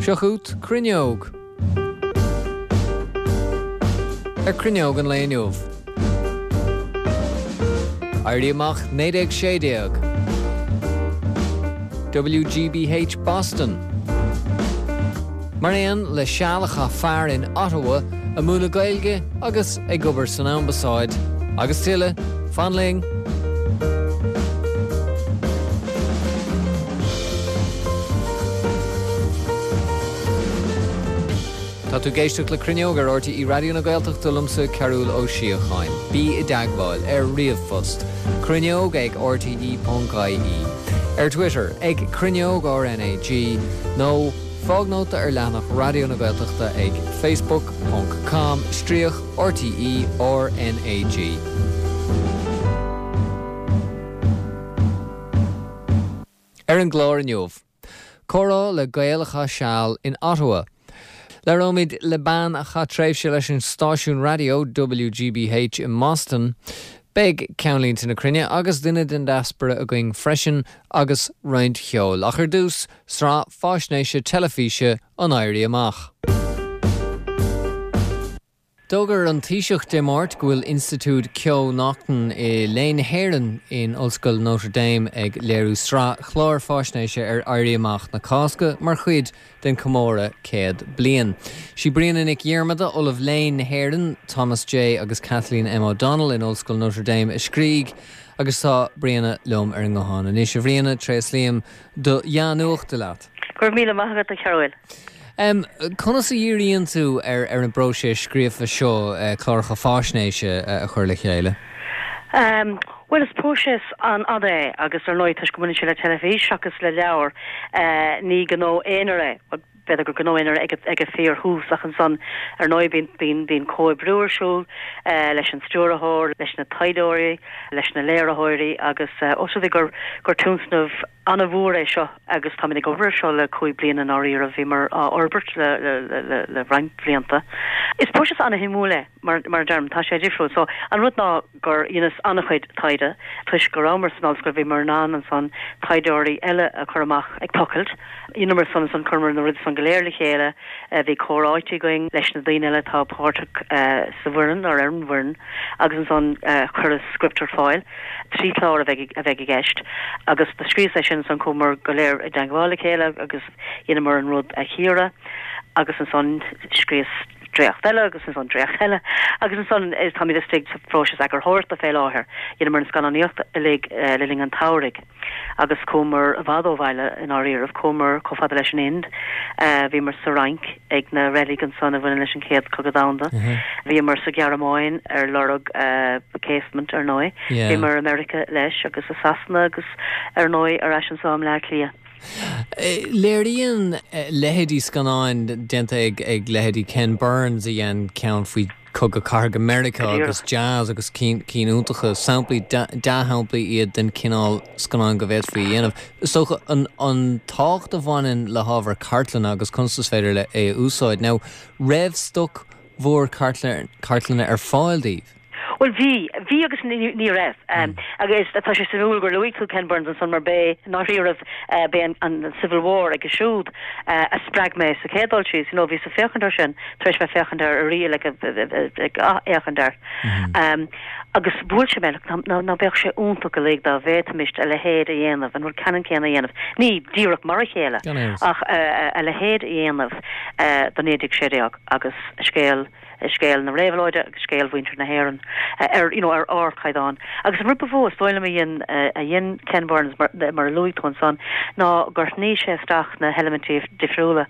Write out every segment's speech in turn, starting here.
Seo chugat Cruinneog. Ar Cruinneog an lae inniu. Éirí Amach 1916. WGBH Boston. Mar aon le seal a chaith fear in Ottawa ag múineadh Gaeilge agus ag obair san ambasáid. Agus tuilleadh, fan linn! Tá tú ag éisteacht le Cruinneog ar RTÉ Raidió na Gaeltachta liomsa Cearúll Ó Síocháin. Bí i dteagmháil ar ríomhphost, cruinneog ag rte.ie, ar Twitter ag Cruinneog RnaG nó fág nóta ar leathanach Raidió na Gaeltachta ag facebook ponc com stríoc RTÉ RnaG. Ar an gclár inniu. Comhrá le Gael a chaith seal in Ottawa. Labhróimid le bean a chaith tréimhse leis an stáisiún raidió WGBH i mBoston. Beidh Ceannlínte na Cruinne agus duine den diaspóra againn freisin agus roinnt cheoil. Ach ar dtús, sraith faisnéise teilifíse an Éirí Amach. D'fhógair an Taoiseach Dé Máirt go bhfuil Institiúid Keough-Naughton i Léann na hÉireann in Ollscoil Notre Dame ag léiriú sraith chlár faisnéise ar Éirí Amach na Cásca mar chuid den chomóradh 100 bliain. Sí Bríona Nic Dhiarmada, Ollamh Léann na hÉireann, Thomas J agus Kathleen M O'Donnell in Ollscoil Notre Dame a scrígh agus tá Bríona liom ar an nguthán anois. A Bhríona, tréaslaím do dhea-nuachta leat. Go raibh míle maith agat, a Chearúil. Conas a dhíríonn tú ar an bpróiseas scríofa seo cláracha faisnéise a chur le chéile? Bhuel, is próiseas an-fhada é agus ar ndóigh toisc go mbaineann sé le teilifís seachas le leabhar, ní gnó aonair é. Bhuel, b'fhéidir gur gnó aonair é ag an fíor-thús ach ansan ar ndóigh bíonn, bíonn comhoibriú ar siúl leis an stiúrthóir, leis na taighdeoirí, leis na léiritheoirí agus ós rud é gur, gur tionscnamh an-mhór é seo agus táimid ag obair air seo le 5 bliana i ndáiríre, bhíomar á fhorbairt le roinnt blianta. Is próiseas an-shuimiúil é, mar a deirim, tá sé difriúil. So, an rud ná gur dheineas an-chuid taighde, toisc go rabhamar san ollscoil, bhíomar in ann ansan taighdeoirí eile a chur amach ag tochailt. Dheineamar san ansan, chuireamar na rudaí san go léir le chéile, bhí comhráite againn leis na daoine eile atá páirteach sa bhfoireann, ar an bhfoireann, agus ansan cuireadh script ar fáil. 3 chlár a bheidh a bheidh i gceist agus do scríos é sin ansan chuamar go léir i dteangmháil le chéile agus dheineamar an rud a chíoradh agus ansan scríos dréacht eile agus ansan dréacht eile agus ansan táimid istigh sa phróiseas eagarthóireachta fé láthair. Dheineamar an scannánaíocht uilig le linn an tsamhraidh. Agus chuamar i bhfad ó bhaile i ndáiríribh. Chuamar chomh fada leis an Ind. Bhíomar sa Fhrainc ag na reilig ansan a bhaineann leis an Chéad Chogadh Domhanda. Bhíomar sa Ghearmáin ar lorg casement, ar ndóigh. Bhíomar i Meiriceá leis agus i Sasana agus ar ndóigh ar ais anso i mBleá Cliath. Léiríonn leithéidí scannáin déanta ag leithéidí Ken Burns a dhein ceann faoi Cogadh Cathartha Meiriceá agus Jazz agus cinn iontacha, samplaí, dea-shamplaí iad den chineál scannáin go bhféadfaí a dhéanamh. Is dócha an tábhacht a bhaineann le hábhar cartlainne agus conas is féidir le é a úsáid. Now, raibh stoc mhór cartlainne ar fáil daoibh? Bhuel, bhí. Bhí agus ní raibh. Agus tá sé suimiúil gur luaigh tú Ken Burns ansan mar b'é, i ndáiríribh, b'é an Civil War aige siúd a spreag mé sa chéad dul síos. You know, bhíos ag féachaint air sin, tar éis bheith féachaint air arís, like, ag athfhéachaint air. Agus bhuail sé mé, like, ná beadh sé iontach uilig dá bhféadfaimist a leithéid a dhéanamh, an rud ceannann céanna a dhéanamh. Ní díreach mar a chéile, ach a leithéid a dhéanamh do 1916 agus scéal scéal na réabhlóide agus scéal mhuintir na hÉireann ar, you know, ar ardchaighdeán. Agus an rud ba mhó is dóigh liom a dhein, a dhein Ken Burns, mar, mar a luaigh tú ansan, ná gur shnoigh sé isteach na heilimintí difriúla.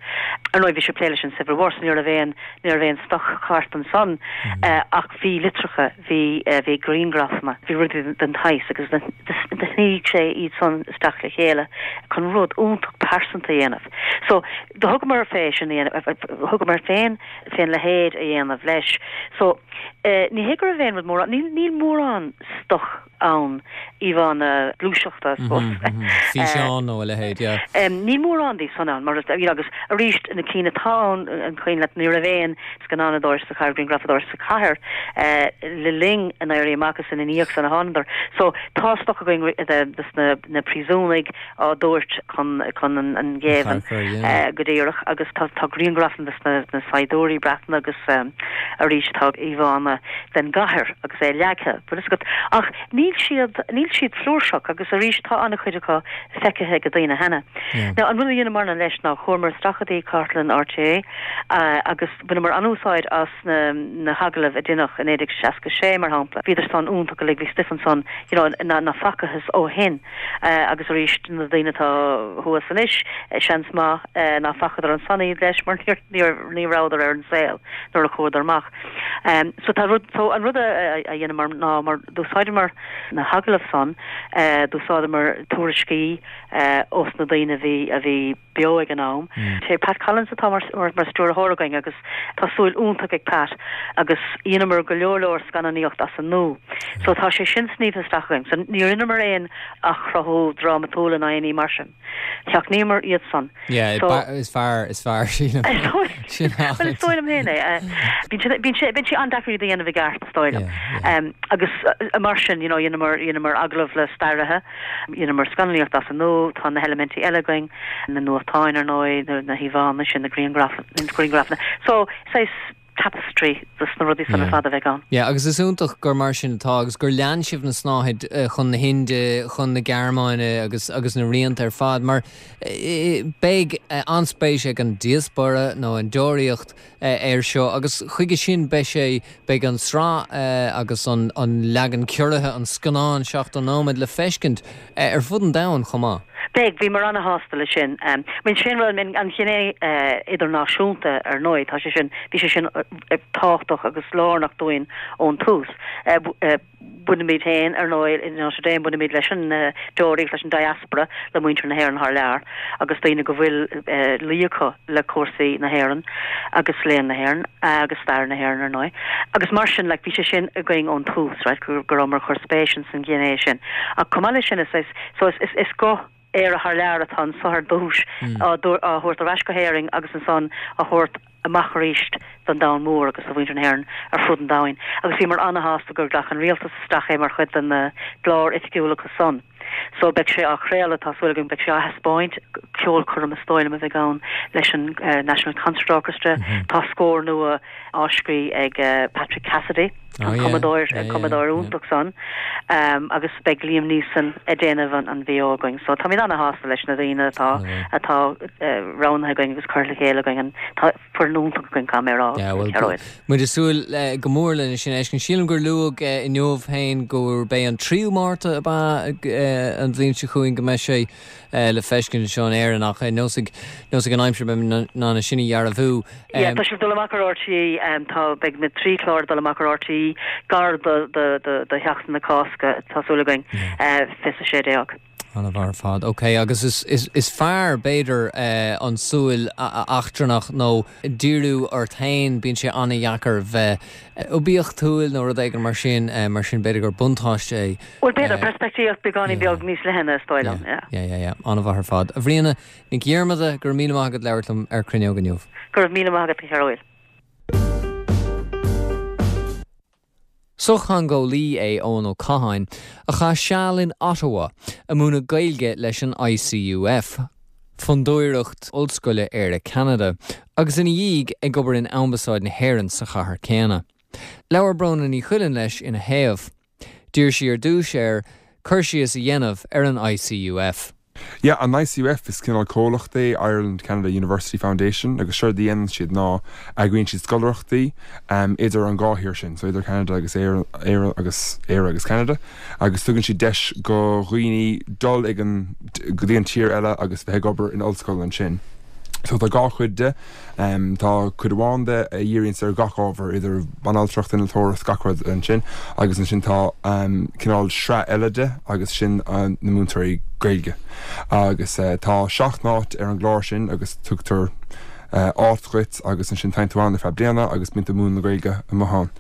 Ar ndóigh bhí sé ag plé leis an Civil War so ní raibh aon, ní raibh aon stoc-chairt ansan ach bhí litreacha, bhí, bhí grianghrafanna, bhí rudaí den tsaghas agus do shnoigh sé iad san isteach le chéile chun rud iontach pearsanta a dhéanamh. So do thugamar fé sin a dhéanamh, thugamar féin, fén leithéid a dhéanamh leis. So, ní hé go raibh aon rud mórán, níl, níl mórán stoc. ann, íomhánna gluaiseachta, I suppose. Físeán nó a leithéid, yeah. Níl mórán díobh san ann, mar you know, agus arís, na cinn atá ann, an cuimhin leat, ní raibh aon scannánadóir sa chathair, grianghrafadóir sa chathair le linn an Éirí Amach is ina ndiaidh san a thánadar. So, tá stoc againn de na na príosúnaigh á dtabhairt chun chun an ghéibhinn go díreach agus tá tá grianghrafanna de na saighdiúirí Breatnacha agus arís tá íomhánna den gcathair agus é leagtha, bhfuil fhios agat. Ach níl siad níl siad flúirseach agus arís tá an-chuid acu feicthe ag daoine cheana. Now an rud a dheineamarna leis ná chuamar isteach go dtí cartlann RTÉ agus bhaineamar an-úsáid as na na hagallaimh a deineadh i 1966 mar shampla. Bhíodar san iontach uilig, bhí stuif ansan you know ná facathas ó shin. Agus arís na daoine atá thuas anois seans maith ná facadar ansan iad leis mar ní rabhadar ar an saol nuair a chuadar amach. So tá rud, so an rud a dheineamar ná mar d'úsáideamar na hagallaimh san, d'úsáideamar tuairiscí ós na daoine a bhí, a bhí beo ag an am. Sé Pat Collins atá mar mar stiúrthóir againn agus tá súil iontach ag Pat agus dheineamar go leor leor scannánaíocht as an nua. So tá sé sin sníomhtha isteach againn. So níor dheineamar aon athchruthú drámatúil ná aon ní mar sin. Sheachnaíomar iad san. Yeah, So is fearr, is fearr sílim. Sin Well is dóigh liom féin é. Bíonn sé, bíonn sé, bíonn sé an-deacair iad a dhéanamh i gceart is dóigh liom. Yeah, yeah. Agus mar sin, you know, dheineamar, dheineamar agallamh le staraithe, Dheineamar scannánaíocht as an nua, tá na heilimintí eile againn, na nuachtáin ar ndóigh, na híomhánna sin, na grianghrafanna. So, saghas tapestry dos na rudaí san ar fad a bheidh ann. Yeah, agus is iontach gur mar sin atá agus gur lean sibh na snáthaid chun na hInde, chun na Gearmáine agus agus na rianta ar fad mar beidh an-spéis ag an diaspóra nó an deoraíocht air seo agus chuige sin beidh sé, beidh an tsraith agus an leagan ciorraithe, an scannán 70 nóiméad le feiscint ar fud an domhain chomh maith. Beidh, bhíomar ana-shásta leis sin. I mean sin rud, an ghné idirnáisiúnta ar ndóigh, tá sé sin, bhí sé sin tábhachtach agus lárnach dúinn ón tús. Bainimid féin, ar ndóigh, in Notre Dame, bainimid leis an deoraíocht, leis an diaspora, le muintir na hÉireann thar lear agus daoine go bhfuil luí acu le cúrsaí na hÉireann agus léann na hÉireann agus stair na hÉireann, ar ndóigh. Agus mar sin, like, bhí sé sin againn ón tús, right, go rabhamar ag cur spéis ins an ghné sin. Ach chomh maith leis sin, is, so is, is, is guth Éire thar lear atá anso ar dtús á thabhairt ar ais go hÉirinn agus ansan á thabhairt amach arís don domhan mór agus do mhuintir na hÉireann ar fud an domhain. Agus bhíomar ana-shásta gur ghlac an rialtas isteach é mar chuid de na gclár oifigiúil acu san. So beidh sé á chraoladh, tá súil againn, beidh sé á thaispeáint, ceolchoirm is dóigh liom a bheidh ann leis an National Concert Orchestra. Tá scór nua á scríobh ag Patrick Cassidy, an cumadóir, an cumadóir iontach san, agus beidh Liam Neeson ag déanamh an VO againn. So táimid ana-shásta leis na daoine atá atá roghnaithe againn agus curtha le chéile againn. Tá foireann iontach againn, caithfidh mé a rá, Gearóid. Muid ag súil go mór lena sin a fheiscint. Sílim gur luadh inniu féin gurb é an 3ú Márta ab ea an bhliain seo chugainn go mbeidh sé le feiscint anseo in Éirinn ach neosfaidh neosfaidh an aimsir beidh in ann é sin a dhearbhú. Yeah, tá sé ag dul amach ar RTÉ, tá, beidh na trí chlár ag dul amach ar RTÉ gar do, do, do, do Sheachtain na Cásca, tá súil againn, 2016. An-mhaith ar fad. Ok, agus is, is, is fearr, b'fhéidir, an tsúil eachtrannach nó díriú ort féin, bíonn sé an-dheacair bheith oibiachtúil nó rud éigin mar sin, mar sin b'fhéidir gur buntáiste é. Bhuel, b'fhéidir, peirspictíocht beagáinín beag níos leithne, is dóigh liom, yeah. Yeah, yeah, yeah. An-mhaith ar fad. A Bhríona Nic Dhiarmada, go raibh míle maith agat labhairt liom ar Cruinneog inniu. Go raibh míle maith agat, a Ghearóid. Sochtheangeolaí é Eoin Ó Catháin, a chaith seal in Ottawa ag múineadh Gaeilge leis an ICUF, Fondúireacht Ollscoile Éire-Ceanada, agus ina dhiaidh ag obair in Ambasáid na hÉireann sa chathair céanna. Labhair Bróna Ní Chuilinn leis ina thaobh. D'iarr sí ar dtús air cur síos a dhéanamh ar an ICUF. Yeah, an ICUF, is cineál comhlacht é Ireland Canada University Foundation agus séard a dhéanann siad ná eagraíonn siad scoláireachtaí idir an dhá thír sin, so idir Ceanada agus Éire, Éire agus Éire agus Ceanada agus tugann siad deis go dhaoine dul ag an, go dtí an tír eile agus bheith ag obair in ollscoil ansin. So tá dhá chuid de. Tá cuid amháin de a dhíríonns ar gach ábhar, idir banaltracht, innealtóireacht, gach rud ansin, agus ansin tá cineál sraith eile de agus sin na múinteoirí Gaeilge. Agus tá seacht n-áit ar an gclár sin agus tugtar. áit dhuit agus ansin téann tú ann ar feadh bliana agus bíonn tú ag múineadh na Gaeilge amuigh ann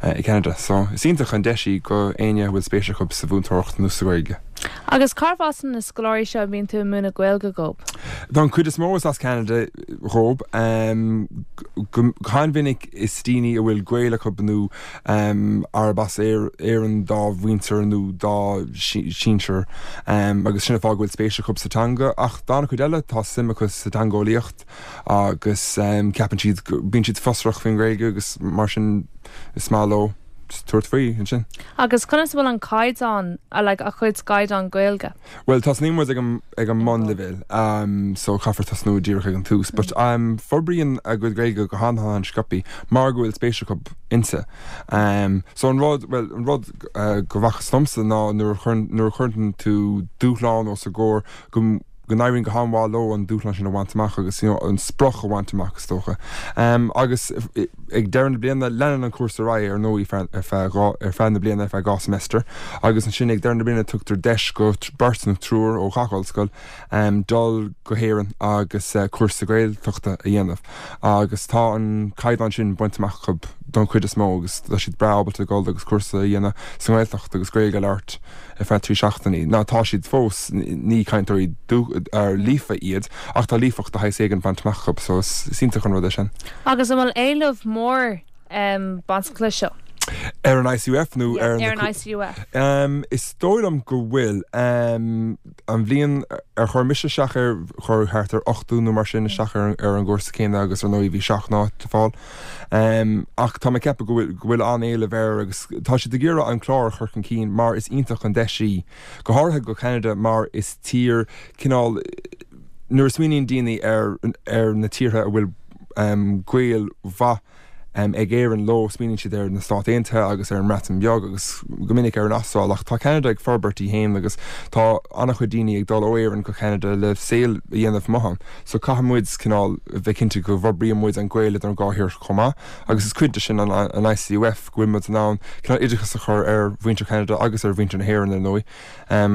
i gCeanada. So is iontach an deis í go éinne a bhfuil spéis acu sa mhúinteoireacht nó sa Ghaeilge. Agus cárbh as na scoláirí seo a mbíonn tú ag múineadh Gaeilge dhóibh? Don chuid is mó is as Ceanada dhóibh. Go han-mhinic is daoine a bhfuil gaol acu nó arb as Éirinn dá mhuintir nó dá sinsir agus sin an fáth go bhfuil spéis acu sa teanga. Ach d'an-chuid eile tá suim acu sa teangeolaíocht agus ceapann siad, bíonn siad fiosrach faoin Ghaeilge agus mar sin is maith leo tabhairt faoi ansin. Agus conas a bhfuil an caighdeán, like a chuid caighdeán Gaeilge? Bhuel, tosnaíonn muid ag an, ag an mbunleibhéal, so caithfear tosnú díreach ag an tús. But forbraíonn a gcuid Gaeilge go han-han-sciobthaí mar go bhfuil spéis acu inti. So an rud, bhuel, an rud go bhfacthas domsa ná nuair a chuireann, nuair a chuireann tú dúshlán os a gcomhair go, go n-éiríonn go han-mhaith leo an dúshlán sin a bhaint amach agus you know an sprioc a bhaint amach is dócha. Agus ag deireadh na bliana, leanann an cúrsa ar aghaidh ar ndóigh ar feadh dhá, ar feadh na bliana, ar feadh 2 semester agus ansin ag deireadh na bliana tugtar deis go beirt nó triúr ó gach ollscoil dul go hÉirinn agus cúrsa Gaeltachta a dhéanamh agus tá an caighdeán sin bainte amach acu don chuid is mó agus tá siad breá ábalta dul agus cúrsa a dhéanamh sa nGaeltacht agus Gaeilge a labhairt. ar feadh 3 seachtainí. Ná tá siad fós, ní cainteoirí líofa iad, ach tá líofacht de shaghas éigin bainte amach acu, so is iontach an rud é sin. Agus an bhfuil éileamh mór bainteach leis seo? Ar an ICUF nó ar na. Ar an ICUF. Is dóigh liom go bhfuil. An bhliain ar chuir mise isteach air, chuir thart ar 80 nó mar sin isteach ar an gcúrsa céanna agus ar ndóigh bhí 7 n-áit le fáil. Ach tá mé ag ceapadh go bhfuil, go bhfuil an-éileamh air agus tá siad ag iarraidh an clár a chur chun cinn mar is iontach an deis í, go háirithe go Ceanada mar is tír cineál, nuair a smaoiníonn daoine ar, ar na tíortha a bhfuil gaol mhaith ag Éirinn leo, smaoiníonn siad ar na Stáit Aontaithe agus ar an mBreatain Bheag agus go minic ar an Astráil ach tá Ceanada ag forbairt í féin agus tá an-chuid daoine ag dul ó Éirinn go Ceanada le saol a dhéanamh amuigh ann. So caithfidh muid cineál bheith cinnte go bhforbraíonn muid an gaol idir an dhá thír chomh maith agus is cuid de sin an an ICUF go bhfuil muid in ann cineál oideachas a chur ar mhuintir Cheanada agus ar mhuintir na hÉireann ar ndóigh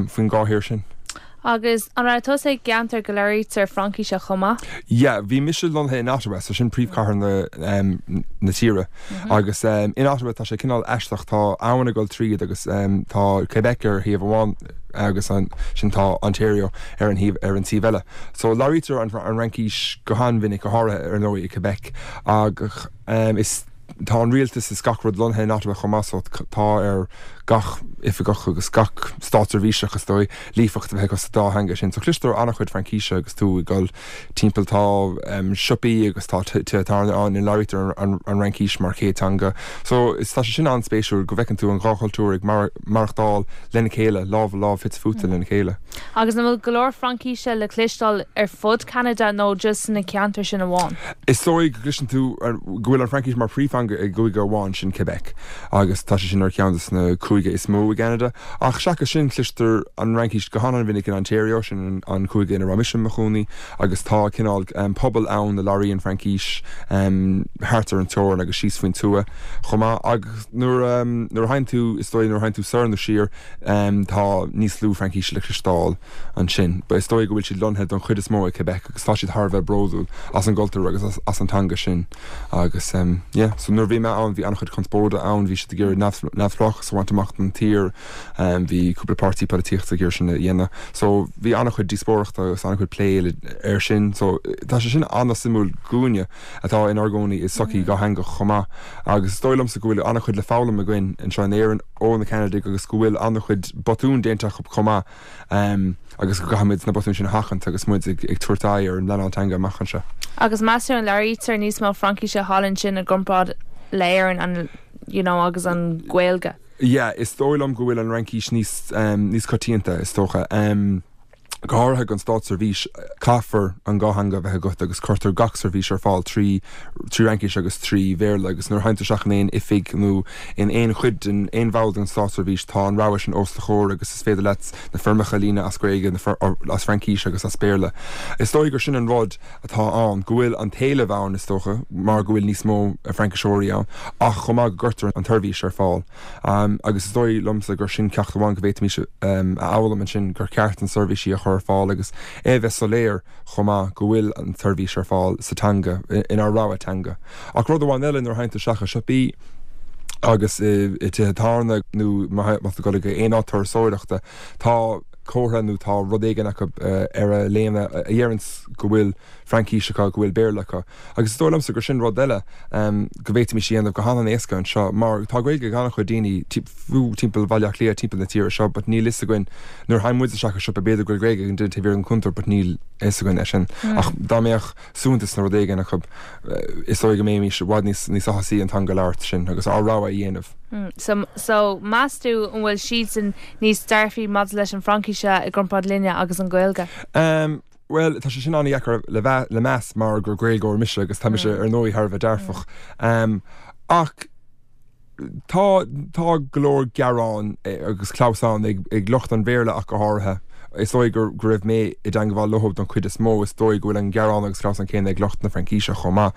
faoin dhá thír sin. Agus an raibh tusa i gceantar go labhraítear Fraincíse chomh maith? Yeah, bhí mise lonnaithe in Ottawa, so sin príomhchathair na na tíre agus in Ottawa tá sé cineál aisteach, tá abhainn ag dul tríd agus tá Quebec ar thaobh amháin, agus ansin tá Ontario ar an thaobh ar an taobh eile. So labhraítear an an Fhraincis go han-mhinic, go háirithe ar ndóigh i Quebec ach is tá an rialtas is gach rud lonnaithe in Ottawa chomh maith so tá ar gach oifigeach agus gach státseirbhíseach is dóigh líofacht a bheith acu sa dá theanga sin. So cloistear an-chuid Fraincíse agus tú ag dul timpeall. Tá siopaí agus tá tithe tábhairne ann ina labhraítear an Fhraincis mar chéad teanga. So is tá sé sin an-spéisiúil go bhfeiceann tú an dhá chultúr ag maireachtáil lena chéile, lámh i lámh, fite fuaite lena chéile. Agus an bhfuil go leor Fraincíse le cloisteáil ar fud Cheanada nó just sna ceantair sin amháin? Is dóigh go gcloiseann tú go bhfuil an Fhraincis mar phríomhtheanga i gcúige amháin, sin Quebec, agus tá sé sin ar cheann de na cúige is mó i gCeanada. Ach seachas sin, cloistear an Fhraincis go han-an-mhinic in Ontario, sin an cúige ina raibh mise i mo chónaí, agus tá cineál pobal ann a labhraíonn Fraincis thart ar an teorainn agus síos faoin tuath chomh maith. Agus nuair a nuair a théann tú, is dóigh, nuair a théann tú soir nó siar, tá níos lú Fraincíse le cloisteáil ansin. Is dóigh go bhfuil siad lonnaithe don chuid is mó i Quebec agus tá siad thar a bheith bródúil as an gcultúr agus as an teanga sin. Agus yeah, so nuair a bhí mé ann bhí an-chuid conspóide ann, bhí siad ag iarraidh neamhspleáchas a bhaint amach don tír, bhí cúpla páirtí polaitíochta ag iarraidh sin a dhéanamh. So bhí an-chuid díospóireachta agus an-chuid plé air sin. So tá sé sin an-suimiúil dhúinne atá inár gcónaí i sochaí dhátheangach chomh maith. Agus is dóigh liomsa go bhfuil an-chuid le foghlaim againn anseo in Éirinn ó na Ceanadaigh agus go bhfuil an-chuid botún déanta acu chomh maith. agus go gcaithfimid na botúin sin a sheachaint agus muid ag tabhairt aghaidh ar an bpleanáil teanga amach anseo. Agus meas tú an labhraítear níos mó Fraincíse thall ansin i gcomparáid le Éirinn an you know agus an Ghaeilge? Yeah, is dóigh liom go bhfuil an Fhraincis níos níos coitianta, is dócha. Go háirithe don státseirbhís, caithfear an dhá theanga a bheith agat agus cuirtear gach seirbhís ar fáil trí Fhraincis agus trí Bhéarla agus nuair a théann tú isteach in aon oifig nó in aon chuid den, aon bhall den státseirbhís tá an rogha sin os do chomhair agus is féidir leat na foirmeacha a líonadh as Gaeilge, as Fraincís agus as Béarla. Is dóigh gur sin an rud atá ann, go bhfuil an t-éileamh ann is dócha mar go bhfuil níos mó Frainciseoirí ann ach chomh maith go gcuirtear an tseirbhís ar fáil. Agus is dóigh liomsa gur sin ceacht amháin go bhféadfaimis a fhoghlaim ansin, gur cheart na seirbhísí a chur. chur ar fáil agus é a bheith soiléir chomh maith go bhfuil an tseirbhís ar fáil sa teanga, inár rogha teanga. Ach rud amháin eile, nuair a théann tú isteach i siopaí agus i dtithe tábhairne nó má tá tú ag dul go aon áit turasóireachta, tá comhartha nó tá rud éigin acu ar a léine a dheireanns go bhfuil Fraincís acu, go bhfuil Béarla acu. Agus is dóigh liomsa gur sin rud eile go bhféadfaimis a dhéanamh go han-an-éasca anseo mar tá Gaeilge ag an-chuid daoine, fiú timpeall Bhaile Átha Cliath, timpeall na tíre seo, but níl fhios againn, nuair a théann muid isteach i siopa b'fhéidir go bhfuil Gaeilge ag an duine taobh thiar den chuntar but níl fhios againn é sin. Ach dá mbeadh suaitheantas nó rud éigin acu, is dóigh go mbeimis i bhfad níos níos áthasaí an teanga a labhairt sin agus ár rogha a dhéanamh. So, so meas tú an bhfuil siadsan níos dearfaí maidir leis an Fhraincis i gcomparáid linne agus an Ghaeilge? Bhuel, tá sé sin an-dheacair le meas mar gur Gaeilgeoir mise agus tá mise ar ndóigh thar a bheith dearfach. Ach tá, tá go leor gearán agus clamhsán ag, ag lucht an Bhéarla ach go háirithe. Is dóigh go, go raibh mé i dteangmháil leo don chuid is mó, is dóigh go bhfuil an gearán agus clamhsán céanna ag lucht na Fraincíse chomh maith.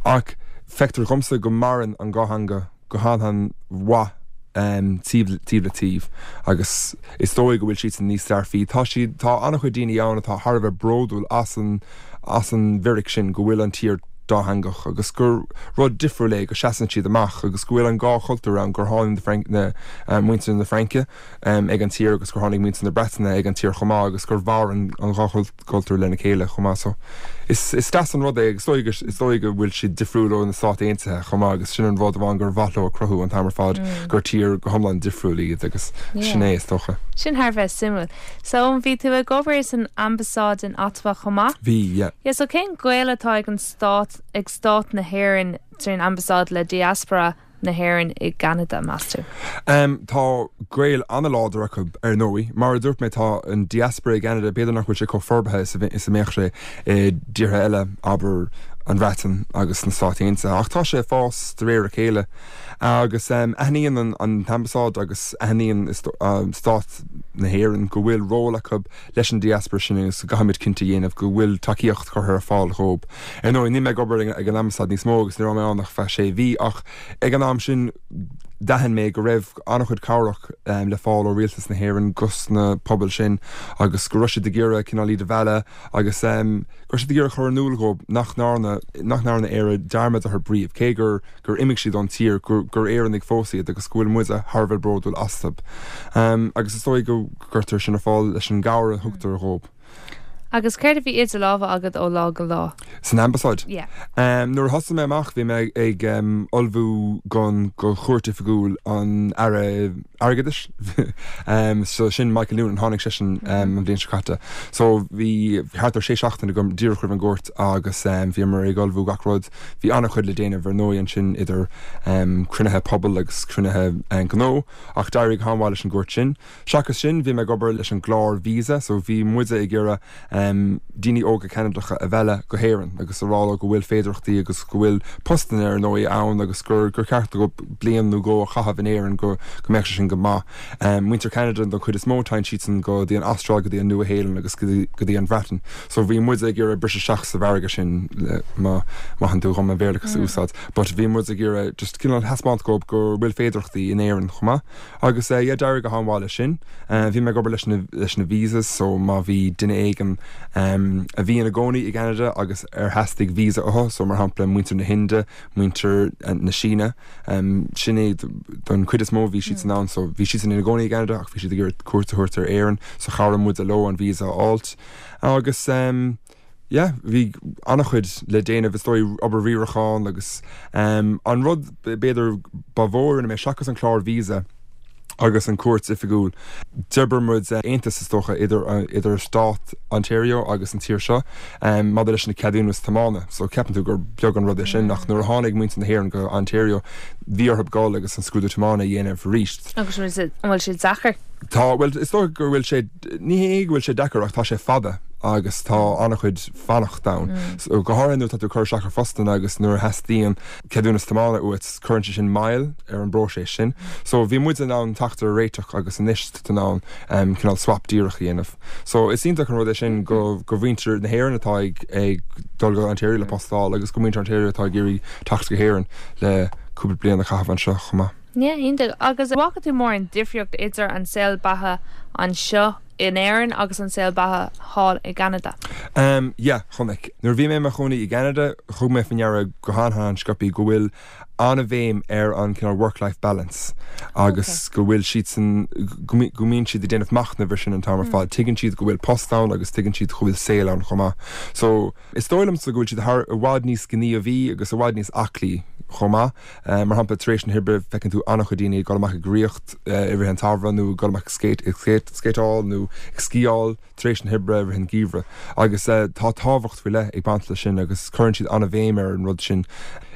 Ach feictear dhomsa go maireann an dhá theanga. go han-mhaith taobh le taobh agus is dóigh go bhfuil siadsan níos dearfaí. Tá siad, tá an-chuid daoine ann atá thar a bheith bródúil as an, as an bhfíric sin go bhfuil an tír dátheangach agus gur rud difriúil é, go seasann siad amach agus go bhfuil an dhá chultúr ann, gur tháinig na, na, muintir na Fraince ag an tír agus gur tháinig muintir na Breataine ag an tír chomh maith agus gur mhair an dhá chultúr lena chéile chomh maith. So is is deas an rud é agus is dóigh is dóigh go bhfuil siad difriúil ó na Stáit Aontaithe chomh maith agus sin an rud amháin gur mhaith leo a chruthú an t-am ar fad gur tír go hiomlán difriúil iad agus sin é is dócha. Sin thar a bheith suimiúil. So bhí tú ag obair san ambasáid in Ottawa chomh maith? Bhí, yeah. Yeah, so cén gaol atá ag an stát ag stát na hÉireann trín ambasáid le diaspora na hÉireann i gCeanada, meas tú? Tá gaol an-láidir acu, ar ndóigh. Mar a dúirt mé, tá an diaspora i gCeanada, b'fhéidir nach bhfuil sé chomh forbartha is a mbeadh sé i dtíortha eile, abair an Bhreatain agus na Stáit Aontaithe, ach tá sé ag fás de réir a chéile. Agus aithníonn an t-ambasáid agus aithníonn Stát na hÉireann go bhfuil ról acu leis an diaspora sin agus go gcaithfimid cinnte a dhéanamh go bhfuil tacaíocht curtha ar fáil dhóib. Ar ndóigh, níl mé ag obair ag an ambasáid níos mó agus ní raibh mé ann ach feadh sé mhí ach ag an am sin d'aithin mé go raibh an-chuid cabhrach le fáil ó Rialtas na hÉireann dos na pobail sin agus go raibh siad ag iarraidh cineál iad a mhealladh agus go raibh siad ag iarraidh cur in iúl dhóib nach ndearna nach ndearna Éire dearmad orthu riamh cé gur gur imigh siad ón tír, gur gur Éireannaigh fós iad agus go bhfuil muide thar a bheith bródúil astu. Agus is dóigh go gcuirtear sin ar fáil leis an gcabhair a thugtar dhóib. Agus céard a bhí idir lámha agat ó lá go lá? San ambasáid? Yeah. Nuair a thosaigh mé amach bhí mé ag ullmhú don go chuairt oifigiúil an Aire Airgeadais. So sin Michael Noonan, tháinig seisean an bhliain seo caite. So bhí thart ar sé seachtaine agam díreach roimh an gcuairt agus bhíomar ag ullmhú gach rud. Bhí an-chuid le déanamh ar ndóigh ansin idir cruinnithe pobail agus cruinnithe gnó ach d'éirigh go han-mhaith leis an gcuairt sin. Seachas sin bhí mé ag obair leis an gclár visa so bhí muide ag iarraidh daoine óga Ceanadacha a mhealladh go hÉirinn agus a rá leo go bhfuil féidearthachtaí agus go bhfuil postanna ar ndóigh ann agus gur gur ceart dóibh bliain nó dhó a chaitheamh in Éirinn go go mbeadh sé sin go maith. Muintir Cheanada don chuid is mó téann siadsan go dtí an Astráil go dtí an Nua-Shéalainn agus go dtí an Bhreatain. So bhí muid ag iarraidh briseadh isteach sa mhargadh sin má mhaitheann tú dhom an Béarlachas a úsáid. But bhí muid ag iarraidh just cineál thaispeáint dhóibh go bhfuil féidearthachtaí in Éirinn chomh maith. Agus yeah d'éirigh go han-mhaith leis sin. Bhí mé ag obair leis na leis na visas so má bhí duine éigin a bhí ina gcónaí i gCeanada agus ar theastaigh visa uathu so mar shampla muintir na hInde, muintir na Síne, sin é don chuid is mó bhí siadsan ann so bhí siadsan ina gcónaí i gCeanada ach bhí siad ag iarraidh cuairt a thabhairt ar Éirinn so chabhraigh muide leo an visa a fháilt. Agus yeah bhí an-chuid le déanamh is dóigh obair riaracháin agus an rud b'fhéidir ba mhó a rinne mé seachas an clár visa agus an cuairt oifigiúil d'oibir muid aontas is dócha idir idir stát Ontario agus an tír seo maidir leis na ceadúnas tiomána so ceapann tú gur beag an rud é sin ach nuair a tháinig muintir na hÉireann go Ontario bhí orthu dul agus an scrúdú tiomána a dhéanamh arís. Agus an bhfuil sé deacair? Tá, bhuel is dócha go bhfuil sé Ní hé go bhfuil sé deacair ach tá sé fada agus tá an-chuid fanacht ann. So, go háirithe nuair atá tú ag cur isteach ar phostanna agus nuair a theastaíonn ceadúnas tiomána uait, cuireann sé sin moill ar an bpróiseas sin. So, bhí muid in ann teacht ar réiteach agus anois tá tú in ann cineál swap díreach a dhéanamh. So, is iontach an rud é sin go go mhuintir na hÉireann atá ag ag dul go Ontario le post a fháil agus go muintir Ontario atá ag iarraidh teacht go hÉirinn le cúpla bliain a chaitheamh anseo chomh maith. Yeah, iontach. Agus an bhfaca tú mórán difríocht idir an saol beatha anseo? in Éirinn agus an saol beatha thall i gCeanada? Em, yeah, chonaic. Nuair a bhí mé i mo chónaí i gCeanada, thug mé faoi ndeara go han-han-sciobthaí go bhfuil an-bhéim ar an cineál work-life balance agus go bhfuil siadsan, go mbíonn siad ag déanamh machnaimh ar sin an t-am ar fad. Tuigeann siad go bhfuil post ann agus tuigeann siad go bhfuil saol ann chomh maith. So, is dóigh liomsa go bhfuil siad thar, i bhfad níos gníomhaí agus i bhfad níos aclaí chomh maith. Mar shampla, tar éis na hoibre feiceann tú an-chuid daoine ag dul amach ag rith i rith an tsamhraidh nó ag dul amach ag skate, ag skateáil nó ag sciáil tar éis na hoibre i rith an gheimhridh. Agus tá tábhacht faoi leith ag baint leis sin agus cuireann siad an-bhéim ar an rud sin.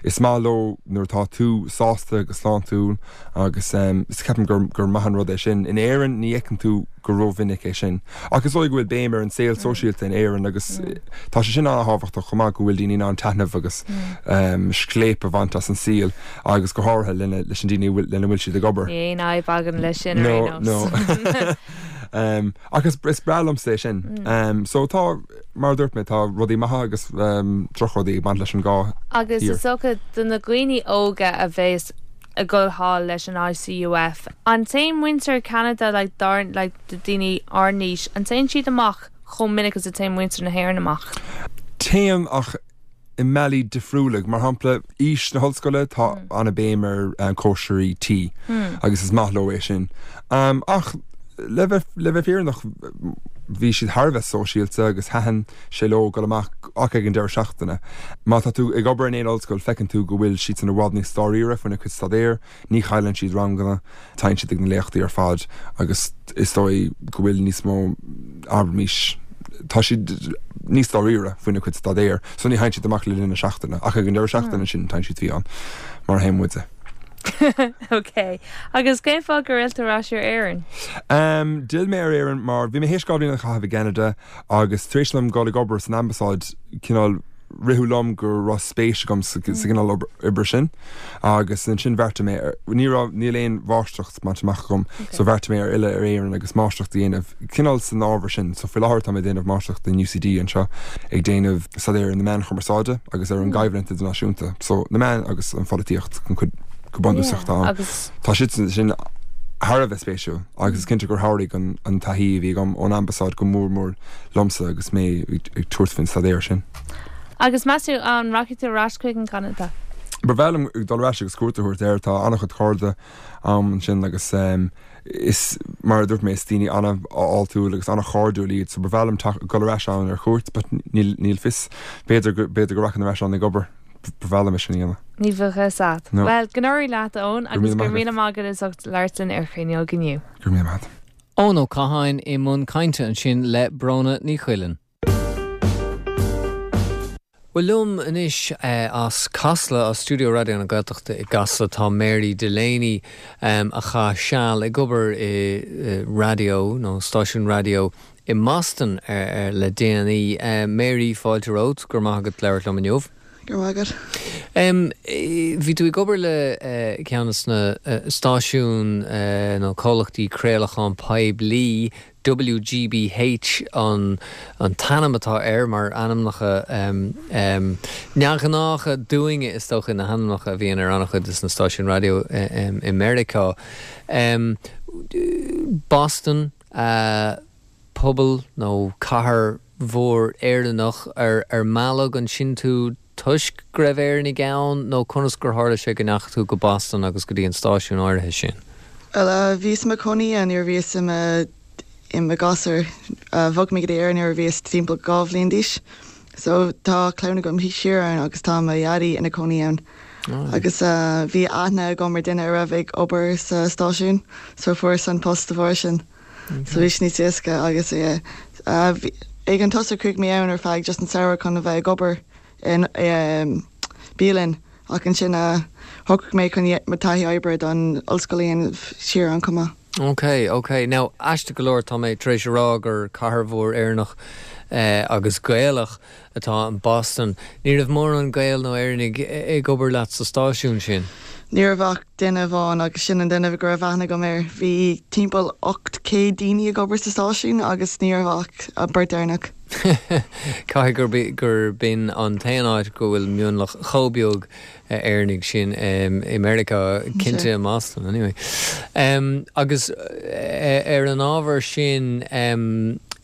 Is maith leo nuair atá tú sásta agus sláintiúil agus is ceapaim gur gur maith an rud é sin. In Éirinn ní fheiceann tú go rómhinic é sin. Ach is dóigh go bhfuil béim ar an saol sóisialta in Éirinn agus tá sé sin an-thábhachtach chomh maith go bhfuil daoine in ann taitneamh agus scléip a bhaint as an saol agus go háirithe lena leis an daoine lena bhfuil siad ag obair. Ní aon fhadhb againn leis sin ar aon nós. No, no. Ach is is breá liomsa é sin. So tá, mar a dúirt mé, tá rudaí maithe agus drochrudaí ag baint leis an dhá thír. Agus is dócha do na daoine óga a bheas ag dul thall leis an ICUF, an dtéann muintir Cheanada like dár like do daoine ár n-aois, an dtéann siad amach chomh minic is a théann muintir na hÉireann amach? Téann ach i mbealaí difriúla. Mar shampla, aois na hollscoile, tá an-bhéim ar cóisirí tí agus is maith leo é sin. Ach le bheith le bheith fírinneach, bhí siad thar a bheith sóisialta agus thaitin sé leo dul amach ach ag an deireadh seachtaine. Má tá tú ag obair in aon ollscoil, feiceann tú go bhfuil siadsan i bhfad níos dáiríre faoina cuid staidéir. Ní chailleann siad ranganna, téann siad ag na léachtaí ar fad agus is dóigh go bhfuil níos mó, abraimis, tá siad níos dáiríre faoina cuid staidéir so ní théann siad amach le linn na seachtaine ach ag an deireadh seachtaine sin téann siad fiáin mar a théann muide. Ok. Agus cén fáth gur fhill tú ar ais ar Éirinn? D'fhill mé ar Éirinn mar bhí mé théis 2 bhliain a chaitheamh i gCeanada agus tar éis dom dul ag obair san ambasáid cineál ritheadh liom go raibh spéis agam sa gcineál oibre sin agus ansin bheartaigh mé ar, ní raibh, níl aon mháistreacht bainte amach agam so bheartaigh mé ar fhilleadh ar Éirinn agus máistreacht a dhéanamh cineál san ábhar sin. So faoi láthair tá mé ag déanamh máistreachta in UCD anseo ag déanamh staidéar ar na meáin chumarsáide agus ar an gcoimhlint idirnáisiúnta. So na meáin agus an pholaitíocht go go bunúsach tá ann. Tá sé sin thar a bheith spéisiúil agus is cinnte gur chabhraigh an taithí a bhí agam ón ambasáid go mór mór liomsa agus mé ag tabhairt faoin staidéar sin. Agus meas tú an rachaidh tú ar ais chuig an gCeanada? Ba bhreá liom dul ar ais agus cuairt a thabhairt air. Tá an-chuid cairde a'm ansin agus is, mar a dúirt mé, is daoine an-fháiltiúil agus an-chairdiúil iad so ba bhreá liom dul ar ais ann ar chuairt but níl, níl fios. B'fhéidir go, b'fhéidir go rachainn ar ais ann ag obair. Ba bhreá liom é sin a dhéanamh. Ní bheadh a fhios a'd. No. Bhuel, go n-éirí leat, a Eoin, Go raibh agus míle go raibh maith míle agat. maith agat as ucht labhairt linn ar Chruinneog inniu. Go raibh míle maith agat. Eoin Ó Catháin i mbun cainte ansin le Bróna Ní Choileáin. Bhuel liom anois as Casla, as stiúideo Raidió na Gaeltachta i gCasla, tá Mary Delaney a chaith seal ag obair i raidió nó stáisiún raidió i mBoston le déanaí. Mary, fáilte romhat, go raibh maith agat labhairt liom inniu. Go raibh maith agat. Bhí tú ag obair le ceann de na stáisiúin nó comhlachtaí craolacháin poiblí, WGBH an t-ainm atá air, mar ainmneacha neamhghnácha dúinne is dócha, na hainmneacha a bhíonn ar an-chuid de na stáisiúin raidió i Meiriceá. Boston, pobal nó cathair mhór Éireannach, ar mealladh ansin tú toisc go raibh Éireannaigh ann nó conas gur tharla sé go ndeachaigh tú go Boston agus go dtí an stáisiún áirithe sin? Bhuel, bhíos i mo chónaí ann nuair a bhíos i mo i mo ghasúr. Bhog mé go dtí Éirinn nuair a bhíos timpeall 2 bhliain d'aois. So tá clann agam siar ann agus tá mo dhaidí ina cónaí ann. Agus bhí aithne agam ar duine a raibh ag obair sa stáisiún so fuaireas an post de bharr sin. So bhí sé níos éasca agus yeah ag an tosach chuaigh mé ann ar feadh just an samhradh chun a bheith ag obair in bialann ach ansin shocraigh mé chun mo taithí oibre don ollscoil a dhéanamh siar ann chomh maith. Ok, ok. Now, aisteach go leor, tá mé tar éis a rá gur cathair mhór Éireannach agus Gaelach atá in Boston. Ní raibh mórán Gael nó Éireannaigh ag obair leat sa stáisiún sin? Ní raibh ach duine amháin agus sin an duine go raibh aithne agam air. Bhí timpeall 800 daoine ag obair sa stáisiún agus ní raibh ach an beirt Éireannach. Caithfidh gur b'in an t-aon áit go bhfuil mionlach chomh beag Éireannaigh sin i Meiriceá, cinnte i mBoston anyway. Agus ar an ábhar sin,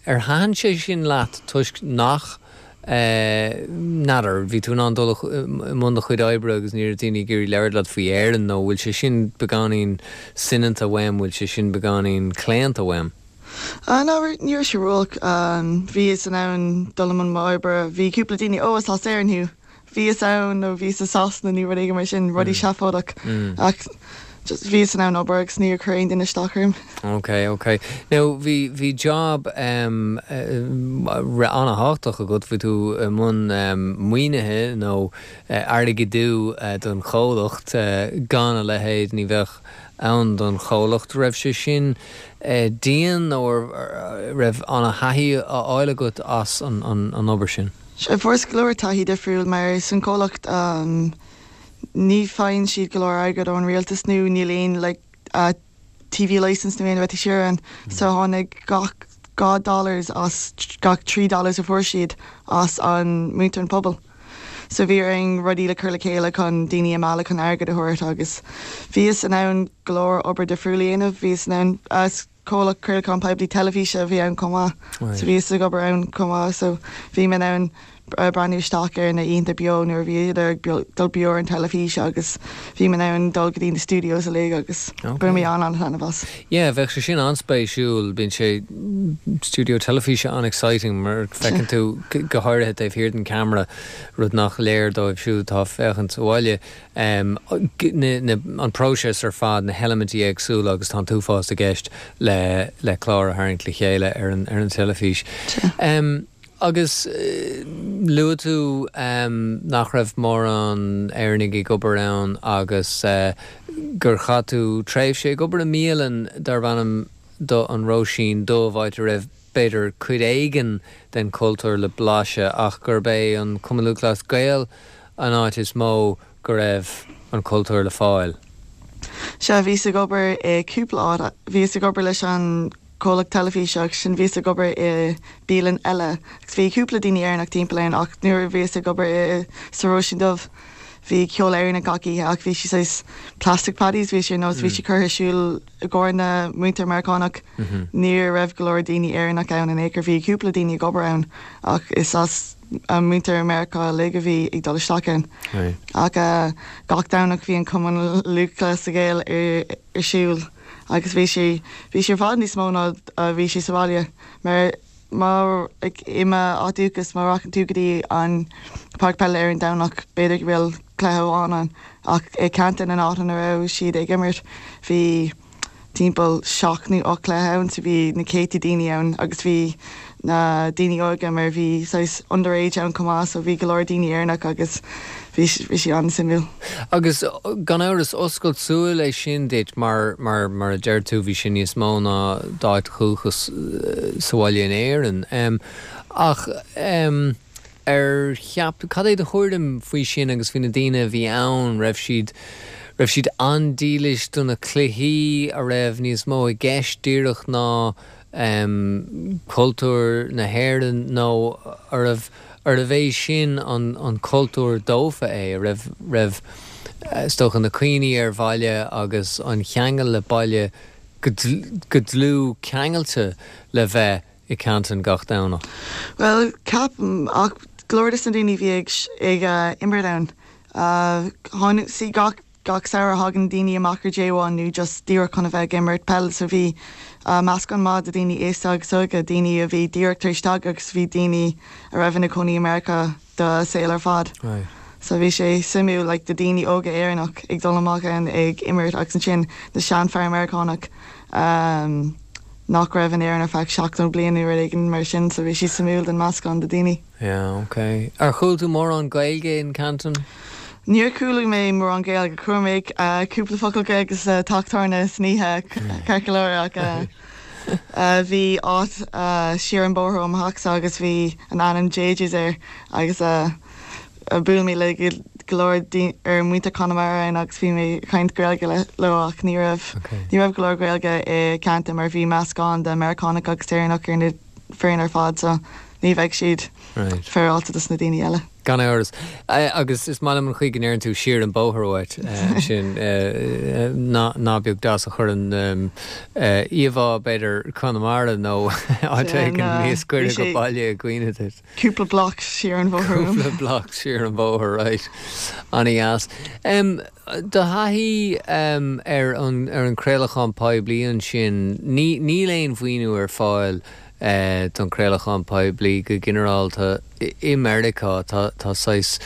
ar thaitin sé sin leat toisc nach, n'fheadar, bhí tú in ann dul i mbun do chuid oibre agus ní raibh daoine ag iarraidh labhairt leat faoi Éirinn nó bhfuil sé sin beagáinín soineanta uaim, bhfuil sé sin beagáinín claonta uaim? No, ní raibh sé ró-olc. Bhíos in ann dul i mbun m'oibre. Bhí cúpla daoine, oh, is as Éirinn thú. Bhíos ann nó bhíos i Sasana nó rud éigin mar sin, rudaí seafóideach. Ach just bhíos in ann obair agus níor chuir aon duine isteach orm. Ok, ok. Now bhí, bhí job em an-thábhachtach agat, bhí tú i mbun em maoinithe nó airgeadú don chomhlacht, gan a leithéid ní bheadh ann don chomhlacht. Raibh sé sin dian nó raibh an-thaithí á fháil agat as an, an, an obair sin? Sea, fuaireas go leor taithí difriúil mar san comhlacht ní faigheann siad go leor airgead ón rialtas nó níl aon like TV licence nó aon rud siar ann so tháinig gach 2 dollars as gach 3 dollars a fuair siad as an muintir an pobal. So bhí orainn rudaí le cur le chéile chun daoine a mealladh chun airgead a thabhairt agus bhíos in ann go leor obair difriúil a dhéanamh, bhíos in ann comhlacht craolacháin poiblí teilifíse a bhí ann chomh maith. So bhíos ag obair ann chomh maith so bhí mé in ann breathnú isteach ar na oícheanta beo nuair a bhíodar ag dul beo ar an teilifís agus bhí mé in ann dul go dtí na studios uilig agus bhain mé an-an-taitneamh as. Yeah, bheadh sé sin an-spéisiúil. Bíonn sé, studio teilifíse an-exciting mar feiceann tú go háirithe taobh thiar den ceamara, rud nach léir dóibh siúd atá ag féachaint sa bhaile. an próiseas ar fad, na heilimintí éagsúla agus tá an t-uafás i gceist le le clár a tharraingt le chéile ar an ar an teilifís. Agus luaigh tú nach raibh mórán Éireannaigh ag obair ann agus gur chaith tú tréimhse ag obair i mbialann darb ainm do An Róisín Dubh, áit a raibh b'fhéidir, cuid éigin den chultúr le blaiseadh ach gurb é an Cumann Lúthchleas Gael an áit is mó go raibh an cultúr le fáil. Sea, bhíos ag obair i cúpla áit. Bhíos ag obair leis an comhlacht teilifíse agus ansin bhíos ag obair i bialann eile agus bhí cúpla daoine Éireannach timpeall ann ach nuair a bhíos ag obair i sa Róisín Dubh bhí ceol Éireannach gach oíche ach bhí sé saghas plastic paddies, bhí sé ar nós bhí sé curtha ar siúl i gcomhair na muintir Meiriceánach. Ní raibh go leor daoine Éireannach ann in aon chor. Bhí cúpla daoine ag obair ann ach is as muintir Meiriceá uilig a bhí ag dul isteach ann. Ach gach Domhnach bhí an Cumann Lúthchleas Gael ar siúl agus bhí sé bhí sé i bhfad níos mó ná a bhí sé sa bhaile mar Mar i m'áit dúchais, má rachann tú go dtí an páirc peile ar an Domhnach, b'fhéidir go bhfuil cluiche amháin ann, ach i Canton, an áit ina raibh siad ag imirt, bhí timpeall seacht nó ocht cluiche ann, so bhí na céadta daoine ann agus bhí na daoine óga mar bhí saghas underage ann chomh maith, so bhí go leor daoine Éireannach agus bhí bhí sé an-suimiúil. Agus gan amhras, oscailt súil é sin duit mar, mar, mar a deir tú, bhí sé níos mó ná d'áit dhúchais sa bhaile in Éirinn. Ach ar cheap, cad é do thuairim faoi sin agus faoi na daoine a bhí ann, raibh siad, raibh siad an-dílis do na cluichí, a raibh níos mó i gceist díreach ná cultúr na hÉireann nó arbh, arbh é sin an cultúr dófa é, a raibh, raibh, is dócha, na cuimhní ar bhaile agus an cheangal le baile go dlúth ceangailte le bheith i Canton gach Domhnach? Bhuel, ceapaim, ach go leor de na daoine a bhí ag, ag imirt ann, tháinig, see gach, Gach samhradh thagann daoine amach ar J1 nó just díreach chun a bheith ag imirt peil so bhí meascán maith de daoine aosta agus óga, daoine a bhí díreach tar éis teacht agus bhí daoine a raibh ina cónaí i Meiriceá dá saol ar fad. So bhí sé suimiúil like do daoine óga Éireannach ag dul amach ann ag imirt agus ansin na seanfhear Meiriceánach nach raibh in Éirinn ar feadh 70 bliain nó rud éigin mar sin so bhí sé suimiúil den meascán de daoine. Yeah, ok. Ar chuala tú mórán Gaeilge in Canton? Níor chuala mé mórán Gaeilge. Chuala mé cúpla focal Gaeilge sa teach tábhairne san oíche, ceart go leor, ach bhí áit siar an bóthar ó mo theachsa agus bhí an ainm JJ's air agus bhuail mé le go. go leor ar muintir Conamara ann agus bhí mé ag caint Gaeilge leo ach ní raibh ní raibh go leor Gaeilge i Ceanada mar bhí meascán de Meiriceánach agus Éireannach ar na foireann ar fad so ní bheidh siad féaráilte dos na daoine eile. Gan amhras. Agus is maith liom an chaoi go ndeireann tú siar an bóthar uait sin. Nath beag deas a chuireann íomhá, b'fhéidir, Conamara nó áit éigin níos gaire go baile i gcuimhne duit. Cúpla bloc siar an bhóthar uaim. Cúpla bloc siar an bhóthar, right. Ana-dheas. Do thaithí ar an chraolachán poiblí ansin, níl aon mhaoiniú ar fáil don chraolachán poiblí go ginearálta i Meiriceá. Tá, tá saghas,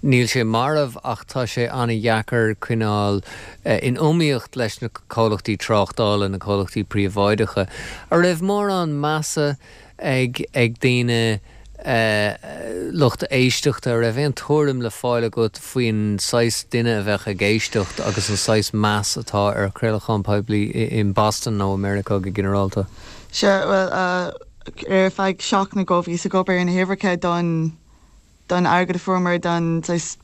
níl sé marbh ach tá sé an-dheacair coinneáil in iomaíocht leis na comhlachtaí tráchtála, na comhlachtaí príobháideacha. An raibh mórán measa ag, ag daoine, lucht éisteachta, an raibh aon tuairim le fáil agat faoin saghas duine a bheadh ag éisteacht agus an saghas meas atá ar chraolachán poiblí i mBoston nó i Meiriceá go ginearálta? Sea, bhuel, ar feadh seachtain nó dhó bhíos ag obair ar na huimhreacha don, don airgead a fuaireamar don saghas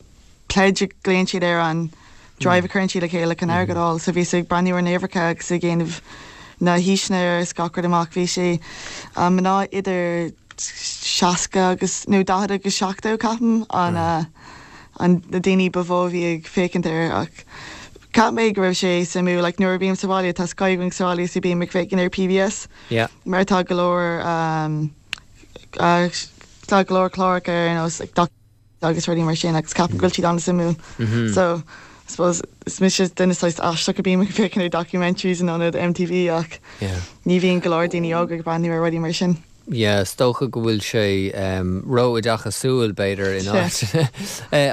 pledge a ghlaonn siad air, an drive a chuireann siad le chéile chun airgead a fháil. So bhíos ag breathnú ar na huimhreacha agus ag déanamh na haoiseanna agus gach rud amach. Bhí sé mná idir 60 agus, nó 40 agus 70 ceapaim, an, an, na daoine ba mhó a bhí ag féachaint air ach cheap mé go raibh sé suimiúil. Like nuair a bhím sa bhaile tá Sky againn sa bhaile so bím ag féachaint ar PBS mar tá go leor tá go leor cláracha ar nós like doc agus rudaí mar sin agus ceapaim go bhfuil siad an-suimiúil. So I suppose is mise duine saghas aisteach a bím ag féachaint ar documentaries in ionad MTV ach ní bhíonn go leor daoine óga ag breathnú ar rudaí mar sin. Yeah, is dócha go bhfuil sé ró-oideachasúil, b'fhéidir, in áit.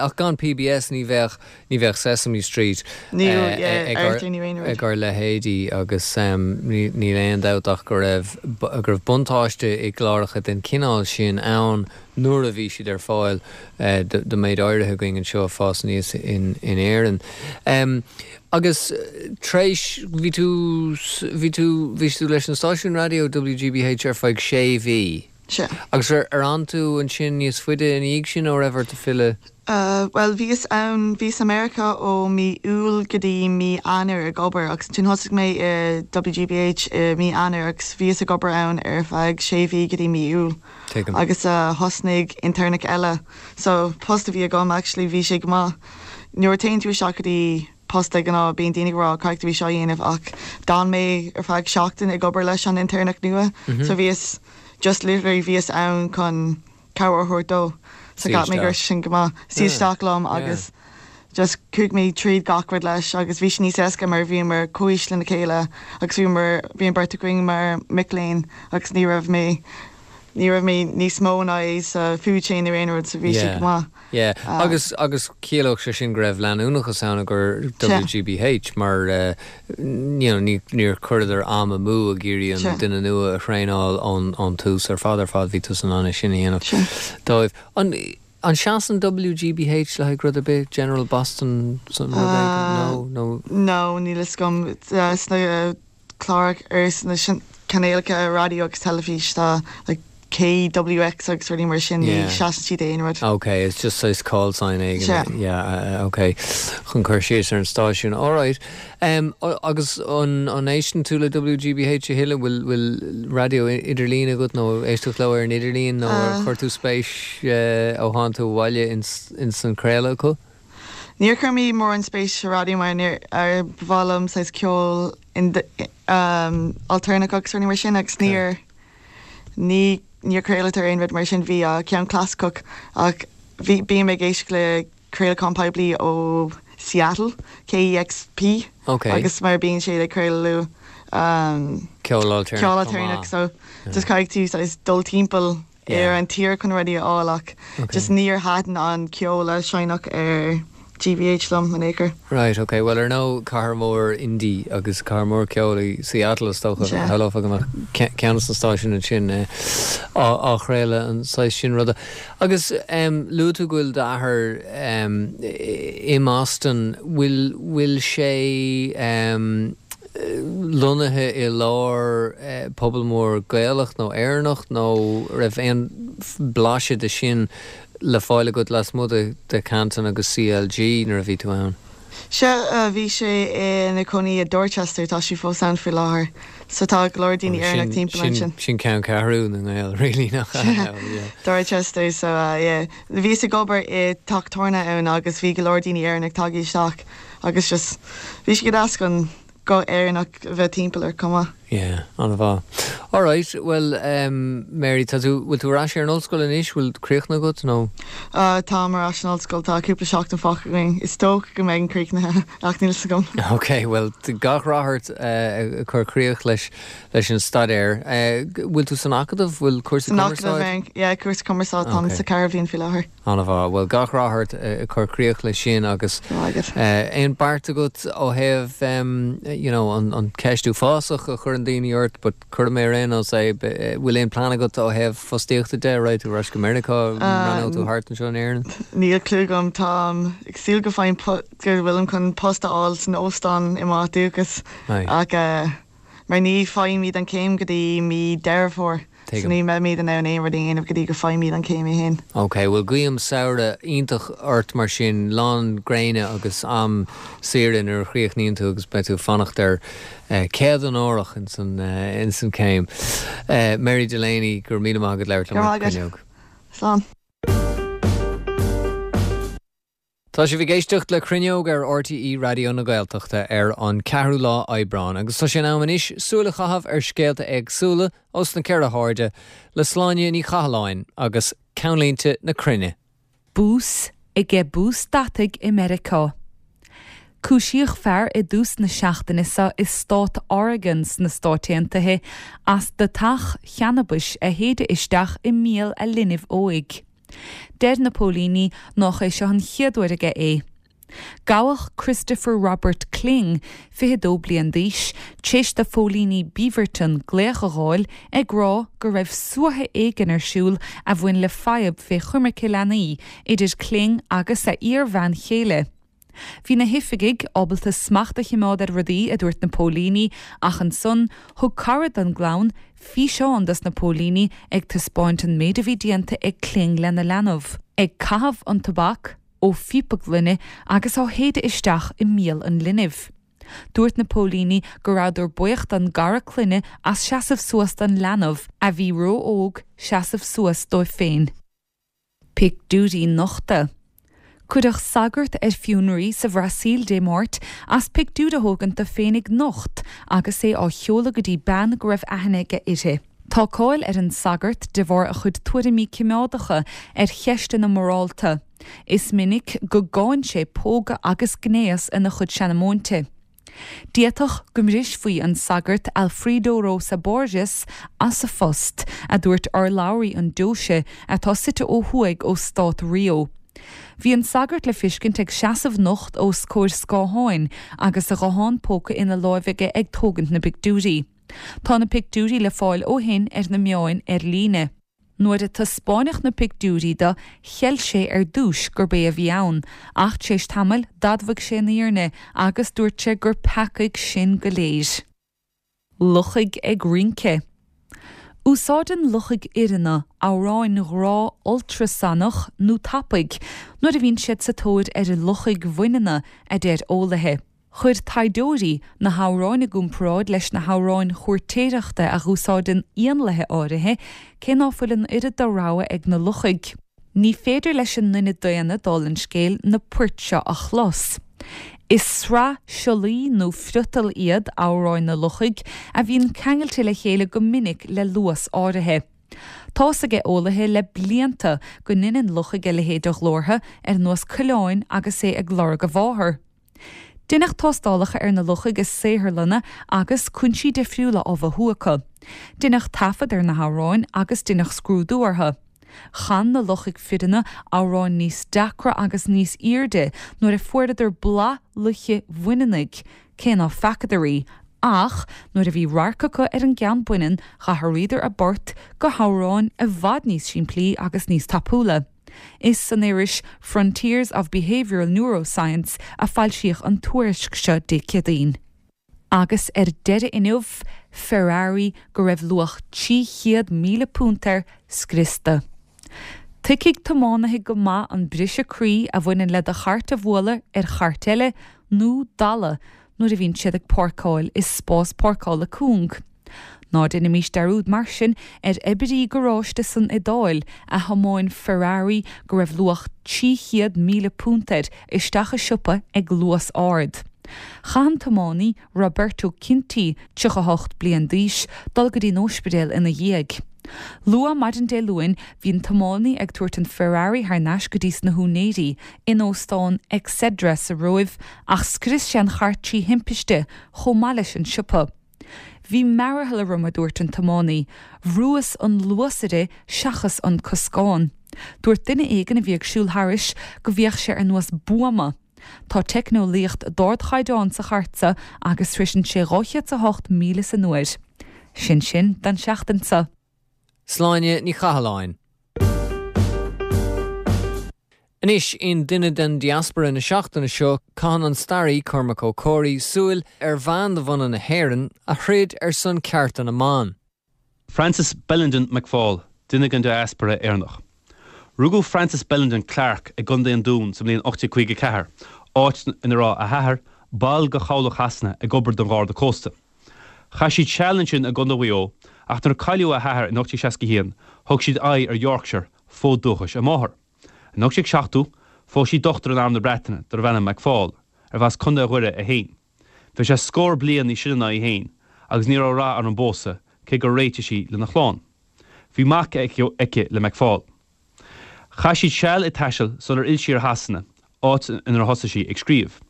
Ach gan PBS ní bheadh, ní bheadh Sesame Street ag ár leithéidí agus níl aon dabht ach go raibh, go raibh buntáiste i gcláracha den chineál sin ann nuair a bhí siad ar fáil do méid áirithe againn anseo ag fás aníos in Éirinn. Agus tar éis, bhí tú, bhí tú, bhí tú leis an stáisiún raidió WGBH ar feadh sé mhí. Sea. Agus ar, ar fhan tú ansin níos faide ina dhiaidh sin nó raibh ort filleadh? Bhuel, bhíos ann, bhíos i Meiriceá ó mí Iúil go dtí mí Eanáir ag obair agus ansin thosaigh mé i WGBH i mí Eanáir agus bhíos ag obair ann ar feadh sé mhí go dtí mí Iúil. Tuigim. Agus thosnaigh intéirneach eile. So, post a bhí agam actually bhí sé go maith. Nuair a téann tú isteach go dtí post de ghnáth bíonn daoine ag rá caithfidh tú é seo a dhéanamh ach d'fhan mé ar feadh seachtain ag obair leis an intéirneach nua so bhíos just literally bhíos ann chun cabhair a thabhairt dó. So cheap mé go raibh sé sin go maith. Suí isteach liom agus just chuaigh mé tríd gach rud leis agus bhí sé níos éasca mar bhíomar comhaois lena chéile agus bhíomar, bhí an bheirt againn mar mic léinn agus ní raibh mé, ní raibh mé níos mó ná é sa food chain nó aon rud so bhí sé go maith. Yeah, agus, agus chiallódh sé sin go raibh leanúnachas ann i gcomhair WGBH mar you know ní, níor chuireadar am amú ag iarraidh an duine nua a thraenáil ón, ón tús ar fad ar fad bhí tusa in ann é sin a dhéanamh dóibh. An, An seasann WGBH le haghaidh rud ar bith? General Boston rud éigin? No? Nó? No, níl fhios agam. Sna cláracha, ar sna cainéalacha raidió agus teilifís tá like KWX agus rudaí mar sin, ní seasann siad d'aon rud. Ok, it's just saghas call sign éigin. Sea. Yeah, ok. Chun cur síos ar an stáisiún. Alright. Agus an éisteann tú le WGBH a thuilleadh? Bhfuil bhfuil raidió idirlín agat nó éisteacht leo ar an idirlíon nó ar chuir tú spéis ó tháinig tú abhaile ins an craoladh acu? Níor chuir mé mórán spéis sa raidió mar níor ba mhaith liom saghas ceol altarnach agus rudaí mar sin agus níor ní níor craolatar aon rud mar sin. Bhí ceann clasaiceach ach bhí bím ag éisteacht le craolachán poiblí ó Seattle, KEXP, agus mar bíonn siad ag craoladh ceol ailtéarnach so just caithfidh tú saghas dul timpeall ar an tír chun rudaí a fháil ach just níor thaitin an ceol a seinneadh ar GBH liom in aon chor. Right, ok. Bhuel, ar ndóigh, cathair mhór indie agus cathair mhór ceoil í Seattle, is dócha. Shamhlófá go mbeadh ceann des na stáisiúin ansin á chraoladh an saghas sin ruda. Agus luaigh tú go bhfuil d'athair i mBoston, bhfuil, bhfuil sé lonnaithe i lár pobal mór Gaelach nó Éireannach nó raibh aon bhlaiseadh de sin? le fáil agat lasmuigh de Canton agus CLG nuair a bhí tú ann? Sea, bhí sé ina chónaí i Dorchester, tá sé fós ann faoi láthair. So tá go leor daoine Éireannach timpeall ansin. Sin ceanncheathrú na nGael, really, nach ea? Sea, Dorchester, so yeah. Bhíos ag obair i teach tábhairne ann agus bhí go leor daoine Éireannach tagtha isteach agus just bhí sé go deas chun guth Éireannach a bheith timpeall ort chomh maith. Yeah, an-mhaith. Alright, bhuel Mary, tá tú, bhfuil tú ar ais ar an ollscoil anois, bhfuil críochnaithe agat nó? Táim ar ais san ollscoil, tá cúpla seachtain fágtha againn. Is dócha go mbeidh críochnaithe ach níl 'fhios agam. Ok, bhuel gach rath ort ag cur críoch leis leis an staidéar. Bhfuil tú san Acadamh? Bhfuil cúrsa San Acadamh, cumarsáid? yeah, cúrsa cumarsáid, táim sa ceathrú bhliain faoi láthair. An-mhaith. Bhuel, gach rath ort ag cur críoch leis sin agus aon beart agat ó thaobh you know an ceist uafásach a chuireann daoine ort but cuirfidh mé ar aon nós é, bhfuil aon plean agat ó thaobh fostaíochta de, raghaidh tú ar ais go Meiriceá, breathnóidh tú thart anseo in Éirinn? Níl clue agam, táim ag súil go bhfaighim go bhfuilim chun post a fháil san óstán i m'áit dúchais ach mar ní faighimid an chéim go dtí mí Deireadh Fómhair so ní mbeimid in ann aon rud a dhéanamh go dtí go bhfaighimid an chéim í fhéin. Ok, bhuel guím samhradh iontach ort mar sin, lán gréine agus am saoire nuair a chríochnaíonn tú agus beidh tú ag fanacht ar céad onórach ins an ins an céim. Mary Delaney, go raibh míle maith agat labhairt liom ar Cruinneog. Slán. Tá sibh ag éisteacht le Cruinneog ar RTÉ Raidió na Gaeltachta ar an 4ú lá Aibreán agus tá sé in am anois súil a chaitheamh ar scéalta éagsúla ós na ceithre hairde le Sláine Ní Chathalláin agus Ceannlínte na Cruinne. Bús aige bús deataigh i Meiriceá. Cúisíodh fear i dtús na seachtaine seo i stát Oregon sna Stáit Aontaithe as deatach channabais a shéideadh isteach i mbéal a linbh óig. Deir na póilíní nách é seo an chéad uair aige é. Gabhadh Christopher Robert Kling, 22 bliain d'aois, t'éis do phóilíní Beaverton glaoch a dh'fháil ag rá go raibh suaitheadh éigin ar siúl a bhain le fadhb fé choimirce leanaí idir Kling agus a iar-bhean chéile. Bhí na hoifigigh ábalta smacht a chimeád ar rudaí, a dúirt na póilíní, ach ansan thug cara don gclann físeán dos na póilíní ag taispeáint an méid a bhí déanta ag Kling lena leanbh, ag caitheamh an tobac ó phíopa gloine agus á shéideadh isteach i mbéal an linbh. Dúirt na póilíní go rabhadar buíoch don gcara clainne as seasamh suas don leanbh, a bhí ró-óg seasamh suas dóibh féin. Pictiúirí nochta. Cuireadh sagart ar fionraí sa Bhrasaíl Dé Máirt as pictiúr a thógaint de féinig nocht agus é á sheoladh go dtí bean go raibh aithne aige uirthi. Tá cáil ar an sagart de bharr a chuid tuairimí cimeádacha ar cheisteanna morálta. Is minic go gcáin sé pógadh agus gnéas ina chuid seanamóinte. D'fhéadfadh go mbrisfí an sagart Alfredo Rosa Borges as a phost, a dúirt urlabhraí an deoise, atá suite ó thuaidh ó stát Rio. Bhí an sagart le fiscint ag seasamh nocht os comhair scátháin agus a ghuthán póca ina láimh aige ag tógaint na bpictiúirí. Tá na pictiúirí le fáil ó shin ar na meáin ar líne. Nuair a taispeáineadh na pictiúirí do, cheil sé ar dtúis gurb é a bhí ann, ach tar éis tamaill d'admhaigh sé an fhírinne agus dúirt sé gur peacaigh sinn go léir. Luchaigh ag rince. Úsáideann luchaigh fhireanna amhráin ghrá ultrasanach nó tapaidh nuair a bhíonn siad sa tóir ar luchaigh bhaineanna, a deir eolaithe. Chuir taighdeoirí na hamhráin i gcomparáid leis na hamhráin chúirtéireachta a dh'úsáideann éanlaithe áirithe, cé ná fuil an oiread de rogha ag na luchaigh. Ní féidir leis an nduine daonna, dála an scéil, na poirt seo a chlos. Is sraith siollaí nó friotal iad amhráin na luchaigh a bhíonn ceangailte le chéile go minic le luas áirithe. Tá's ag eolaithe le blianta go ndeineann luchaigh a leithéid de ghlórtha, ar nós coileáin agus é ag lorg a mháthar. Deineadh tástálacha ar na luchaigh i saotharlanna agus cúinsí difriúla á mhothú acu. Deineadh taifead ar na hamhráin agus deineadh scrúdú orthu. Chan na luchaigh fireanna amhráin níos deacra agus níos aoirde nuair a fuaireadar boladh luiche bhaineannaigh, cé ná feacadar í, ach nuair a bhí radharc acu ar an gceann baineann dh'athraíodar a bport go hamhráin i bhfad níos simplí agus níos tapúla. Is san iris Frontiers of Behavioural Neuroscience a foilsíodh an tuairisc seo Dé Céadaoin. Agus ar deireadh inniu, Ferrari go raibh luach £300,000 air scriosta. Tuigfidh tiománaithe go maith an briseadh croí a bhaineann le do chairt a bhualadh ar chairt eile nó dalladh nuair a bhíonn siad ag páirceáil i spás páirceála cúng. Ná déanaimís dearúd mar sin ar oibrí garáiste san Iodáil a thiomáin Ferrari go raibh luach £300,000 air isteach i siopa ag luas ard. Chaith an tiománaí, Roberto Cinti, 38 bliain d'aois, dul go dtí an óispidéal ina dhiaidh. Luath maidin Dé Luain bhí an tiománaí ag tabhairt an Ferrari thar n-ais go dtí sna húinéirí in óstán Exedra sa Róimh ach scrios sé an chairt trí thimpiste chomh maith leis an siopa. Bhí mearathal orm, a dúirt an tiománaí. Bhrúas an luasaire seachas an coscán. Dúirt duine éigin a bhí ag siúl thairis go bhféach sé ar nós buama. Tá teicneolaíocht d'ardchaighdeán sa chairt seo agus sroiseann sé 208 míle san uair. Sin sin don seachtain seo. Sláine Ní Chathalláin. Anois, in Duine den Diaspora na seachtaine seo, caitheann an staraí Cormac Ó Comhraí súil ar bhean de bhunadh na hÉireann a throid ar son cearta na mban. Frances Bellenden McFaul, duine den diaspora Éireannach. Rugadh Frances Bellenden Clarke i gContae an Dúin sa mbliain 1854, áit ina raibh a hathair, ball de chabhlach Shasana, ag obair don Gharda Cósta. Chaith siad seal ansin i gContae Mhaigh Eo, ach nuair a cailleadh a hathair in 1861, thug siad aghaidh ar Yorkshire, fód dúchais a máthar. In 1870, phós sí dochtúir in Arm na Breataine darbh ainm McFaul, arbh as Contae Dhoire é féin. Bhí sé scór bliain níos sine ná í féin agus ní raibh rath ar an bpósadh, cé gur réitigh sí lena chlann. Bhí mac aici le McFaul. Chaith siad seal ag taisteal sular fhill sí ar Shasana, áit inar thosaigh sí ag scríobh.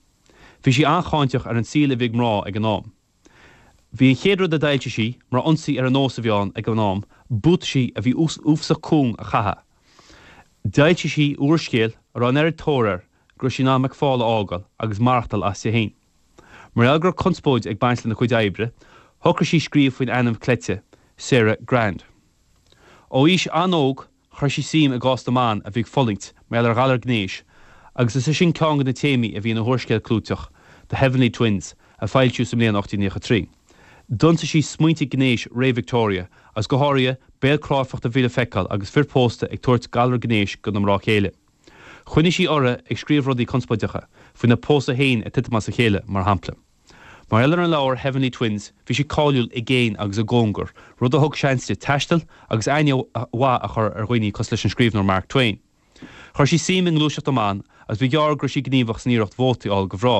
Bhí sí an-cháinteach ar an saol a bhí ag mná ag an am. Bhí an chéad rud a d'fhoilsigh sí mar ionsaí ar an nós a bhí ann ag an am, buataisí a bhí uafasach cúng a chaitheamh. D'fhoilsigh sí úrscéal a raibh an oiread tóir air go raibh sí in ann McFaul a fhágáil agus maireachtáil aisti féin. Mar gheall go raibh conspóid ag baint lena cuid oibre, shocraigh sí scríobh faoin ainm cleite, Sarah Grand. Ó aois an-óg, chuir sí suim i gcás na mban a bhí ag fulaingt mar gheall ar ghalar gnéis agus is é sin ceann de na téamaí a bhí ina húrscéal clúiteach, The Heavenly Twins, a foilsíodh sa mbliain 1893. D'ionsaigh sí smaointe gnéis ré Victoria agus go háirithe béal cráifeachta a bhí le feiceáil agus fir pósta ag tabhairt galar gnéis dona mná céile. Choinnigh sí uirthi ag scríobh rudaí conspóideacha, faoina pósadh féin ag titim as a chéile, mar shampla. Mar gheall ar an leabhar Heavenly Twins, bhí sí cáiliúil i gcéin agus i gcóngar, rud a thug seans di taisteal agus aithne mhaith a chur ar dhaoine cosúil leis an scríbhneoir Mark Twain. Chuir sí suim i ngluaiseacht na mban agus ba ghearr go raibh sí gníomhach san iarracht vótaí a fháil do mhná,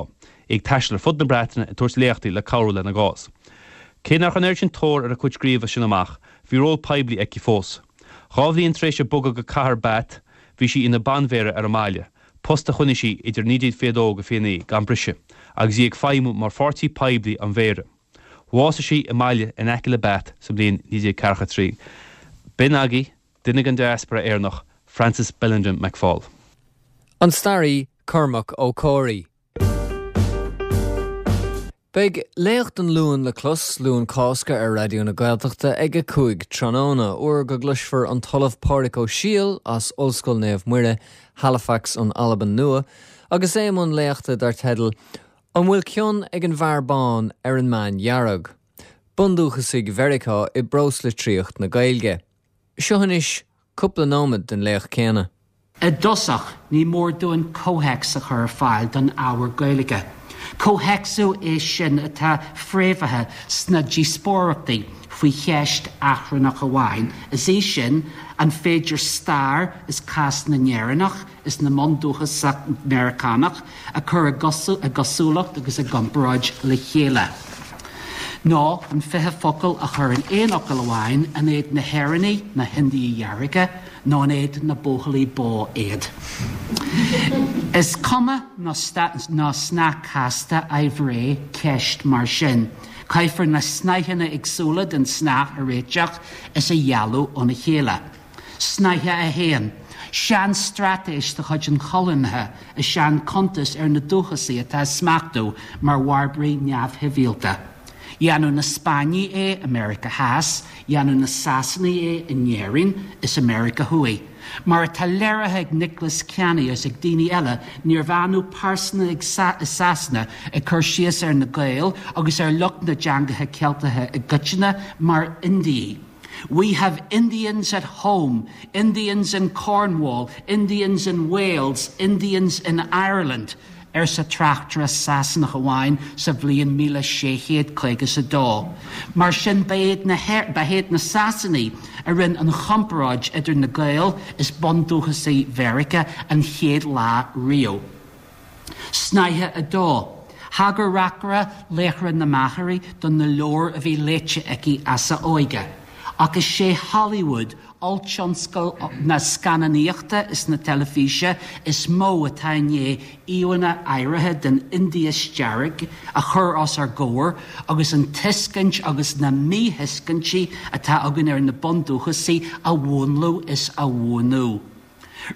í ag taisteal ar fud na Breataine ag tabhairt léachtaí le cabhrú lena gcás. Cé nach raibh an oiread sin tóir ar a cuid scríobh as sin amach, bhí ról poiblí aici fós. Dhá bhliain tar éis di bogadh go cathair Bath, bhí sí ina banmhéara ar an mbaile, post a choinnigh sí idir 1922-29 gan briseadh, agus í ag feidhmiú mar pháirtí poiblí an mhéara. Bhásaigh sí i mbaile in aice le Bath sa mbliain 1943. B'in agaibh duine den diaspora Éireannach, Frances Bellenden McFaul. An staraí Cormac Ó Comhraí. Beidh Léacht an Luain le clos, Luan Cásca ar Raidió na Gaeltachta ag 5 tráthnóna, uair go gcloisfear an tOllamh Pádraig Ó Siadhail as Ollscoil Naomh Muire, Halifax, an Albain Nua, agus é i mbun léachta dar teideal An bhfuil cion ag an bhfear bán ar an mbean dhearg? Bundúchasaigh Mheiriceá i bpróslitríocht na Gaeilge. Seo anois cúpla nóiméad den léacht céanna. I dtosach, ní mór dúinn comhthéacs a chur ar fáil don ábhar Gaeilge. Comhthéacsú é sin atá fréamhaithe sna díospóireachtaí faoi cheist achrannach amháin, is í sin, an féidir stair is cás na nÉireannach is na mbundúchasach Meiriceánach a chur i gcosúlacht agus i gcomparáid le chéile? Nó an 20 focal a chur in aon fhocal amháin, an iad na hÉireannaigh na hIndiaigh Dhearga? Nó an iad na buachaillí bó iad? Is cuma nó snáth casta aimhréidh ceist mar sin. Caithfear na snáitheanna éagsúla den tsnáth a réiteach is a dhealú óna chéile. Snáithe 1. Sean-straitéis de chuid an choilínithe is ea an cuntas ar na dúchasaigh atá á smachtú mar bharbaraigh neamhshibhialta. Dhéanadh na Spáinnigh é i Meiriceá Theas, dhéanadh na Sasanaigh é in Éirinn is i Meiriceá Thuaidh. Mar atá léirithe ag Nicholas Canny is ag daoine eile, níorbh annamh pearsana i Sasana ag cur síos ar na Gaeil agus ar lucht na dteangacha Ceilteacha i gcoitinne mar Indiaigh. We have Indians at home, Indians in Cornwall, Indians in Wales, Indians in Ireland, arsa tráchtaire Sasanach amháin sa bhliain 1652. Mar sin, ba iad na ba iad na Sasanaigh a rinne an chomparáid idir na Gaeil is bundúchasaigh Mheiriceá an chéad lá riamh. Snáithe 2. Thagair reacaire Laochra na Machairí do na leabhair a bhí léite aici as a óige. Ach is é Hollywood, olltionscal na scannánaíochta is na teilifíse, is mó atá i ndiaidh íomhánna áirithe den Indias Dearg a chur os ár gcomhair agus an tuiscint agus na míthuiscintí atá againn ar na bundúchasaigh a mhúnlú is a bhuanú.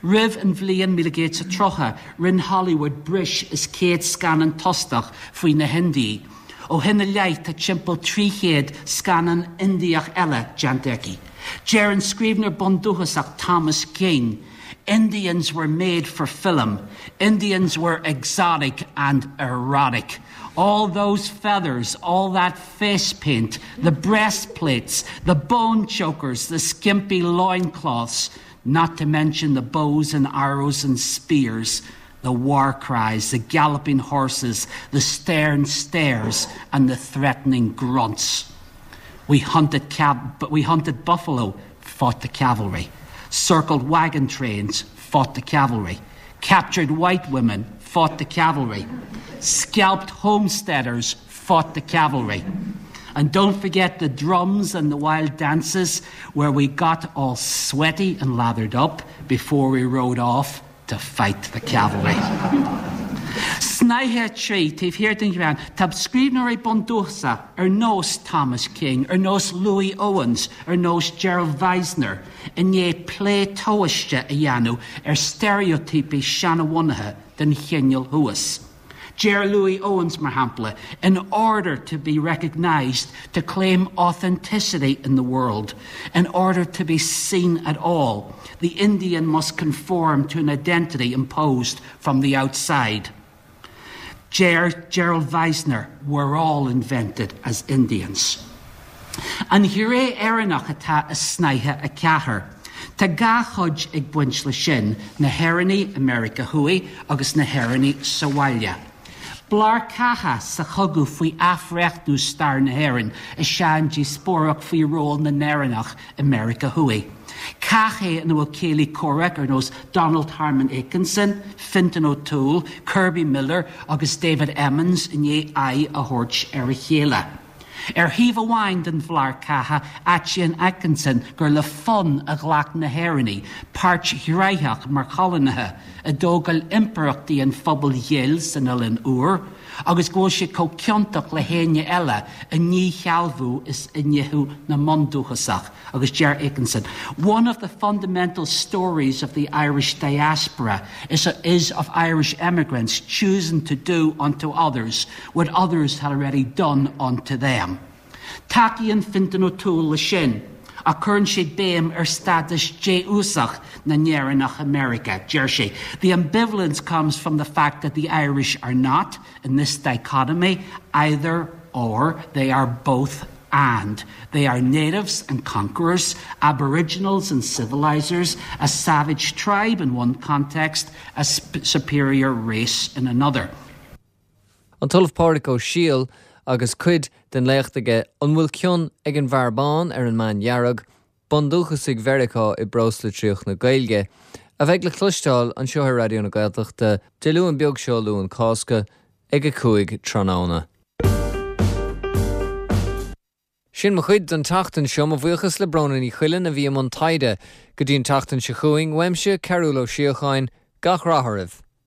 Roimh an bhliain 1930, rinne Hollywood breis is 100 scannán tostach faoi na hIndiaigh. Ó shin i leith tá timpeall 300 scannán Indiach eile déanta aici. Deir an scríbhneoir bundúchasach Thomas King, Indians were made for film. Indians were exotic and erotic. All those feathers, all that face paint, the breastplates, the bone chokers, the skimpy loincloths, not to mention the bows and arrows and spears, the war cries, the galloping horses, the stern stares, and the threatening grunts. We hunted, cab- but we hunted buffalo, fought the cavalry, circled wagon trains, fought the cavalry, captured white women, fought the cavalry, scalped homesteaders, fought the cavalry. And don't forget the drums and the wild dances where we got all sweaty and lathered up before we rode off to fight the cavalry. Snáithe 3, taobh thiar den ghreann, tá scríbhneoirí bundúchasacha ar nós Thomas King, ar nós Louis Owens, ar nós Gerald Vizenor, i ndiaidh plé tomhaiste a dhéanamh ar steiréitíopaí seanbhunaithe den chineál thuas. Deir Louis Owens, mar shampla, in order to be recognised, to claim authenticity in the world, in order to be seen at all, the Indian must conform to an identity imposed from the outside. Deir Gerald Vizenor, we're all invented as Indians. An ghné Éireannach atá i snáithe 4. Tá dhá chuid ag baint leis sin, na hÉireannaigh i Meiriceá Thuaidh agus na hÉireannaigh sa bhaile. Blár catha sa chogadh faoi athbhreithniú stair na hÉireann is ea an díospóireacht faoi ról na nÉireannach i Meiriceá Thuaidh. Cath é ina bhfuil céilí comhraic ar nós Donald Harmon Akenson, Fintan O'Toole, Kerby Miller agus David Emmons i ndiaidh aghaidh a thabhairt ar a chéile. Ar thaobh amháin den bhlár catha, áitíonn Akenson gur le fonn a ghlac na hÉireannaigh páirt ghnoitheach mar choilínithe i dtógáil impireachtaí an phobail ghil san Oileán Úr, agus go bhfuil siad chomh ciontach le héinne eile i ndíshealbhú is i ndíothú na mbundúchasach, agus deir Akenson, One of the fundamental stories of the Irish diaspora is, is of Irish emigrants choosing to do unto others what others had already done unto them. Tacaíonn Fintan O'Toole leis sin, ach cuireann sé béim ar stádas défhiúsach na nÉireannach i Meiriceá. Deir sé, The ambivalence comes from the fact that the Irish are not, in this dichotomy, either or, they are both and. They are natives and conquerors, aboriginals and civilizers, a savage tribe in one context, a superior race in another. An tOllamh Pádraig Ó Siadhail agus cuid den léacht aige An bhfuil cion ag an bhfear bán ar an mbean dhearg, Bundúchasaigh Mheiriceá i bpróslitríocht na Gaeilge, a bheidh le cloisteáil anseo ar Raidió na Gaeltachta Dé Luain beag seo, Luan Cásca, ag 5 tráthnóna. Sin mo chuid don tseachtain seo. Mo bhuíochas le Bróna Ní Choileáin a bhí i mbun taighde. Go dtí an tseachtain seo chugainn, uaimse, Cearúll Ó Síocháin, gach rath oraibh.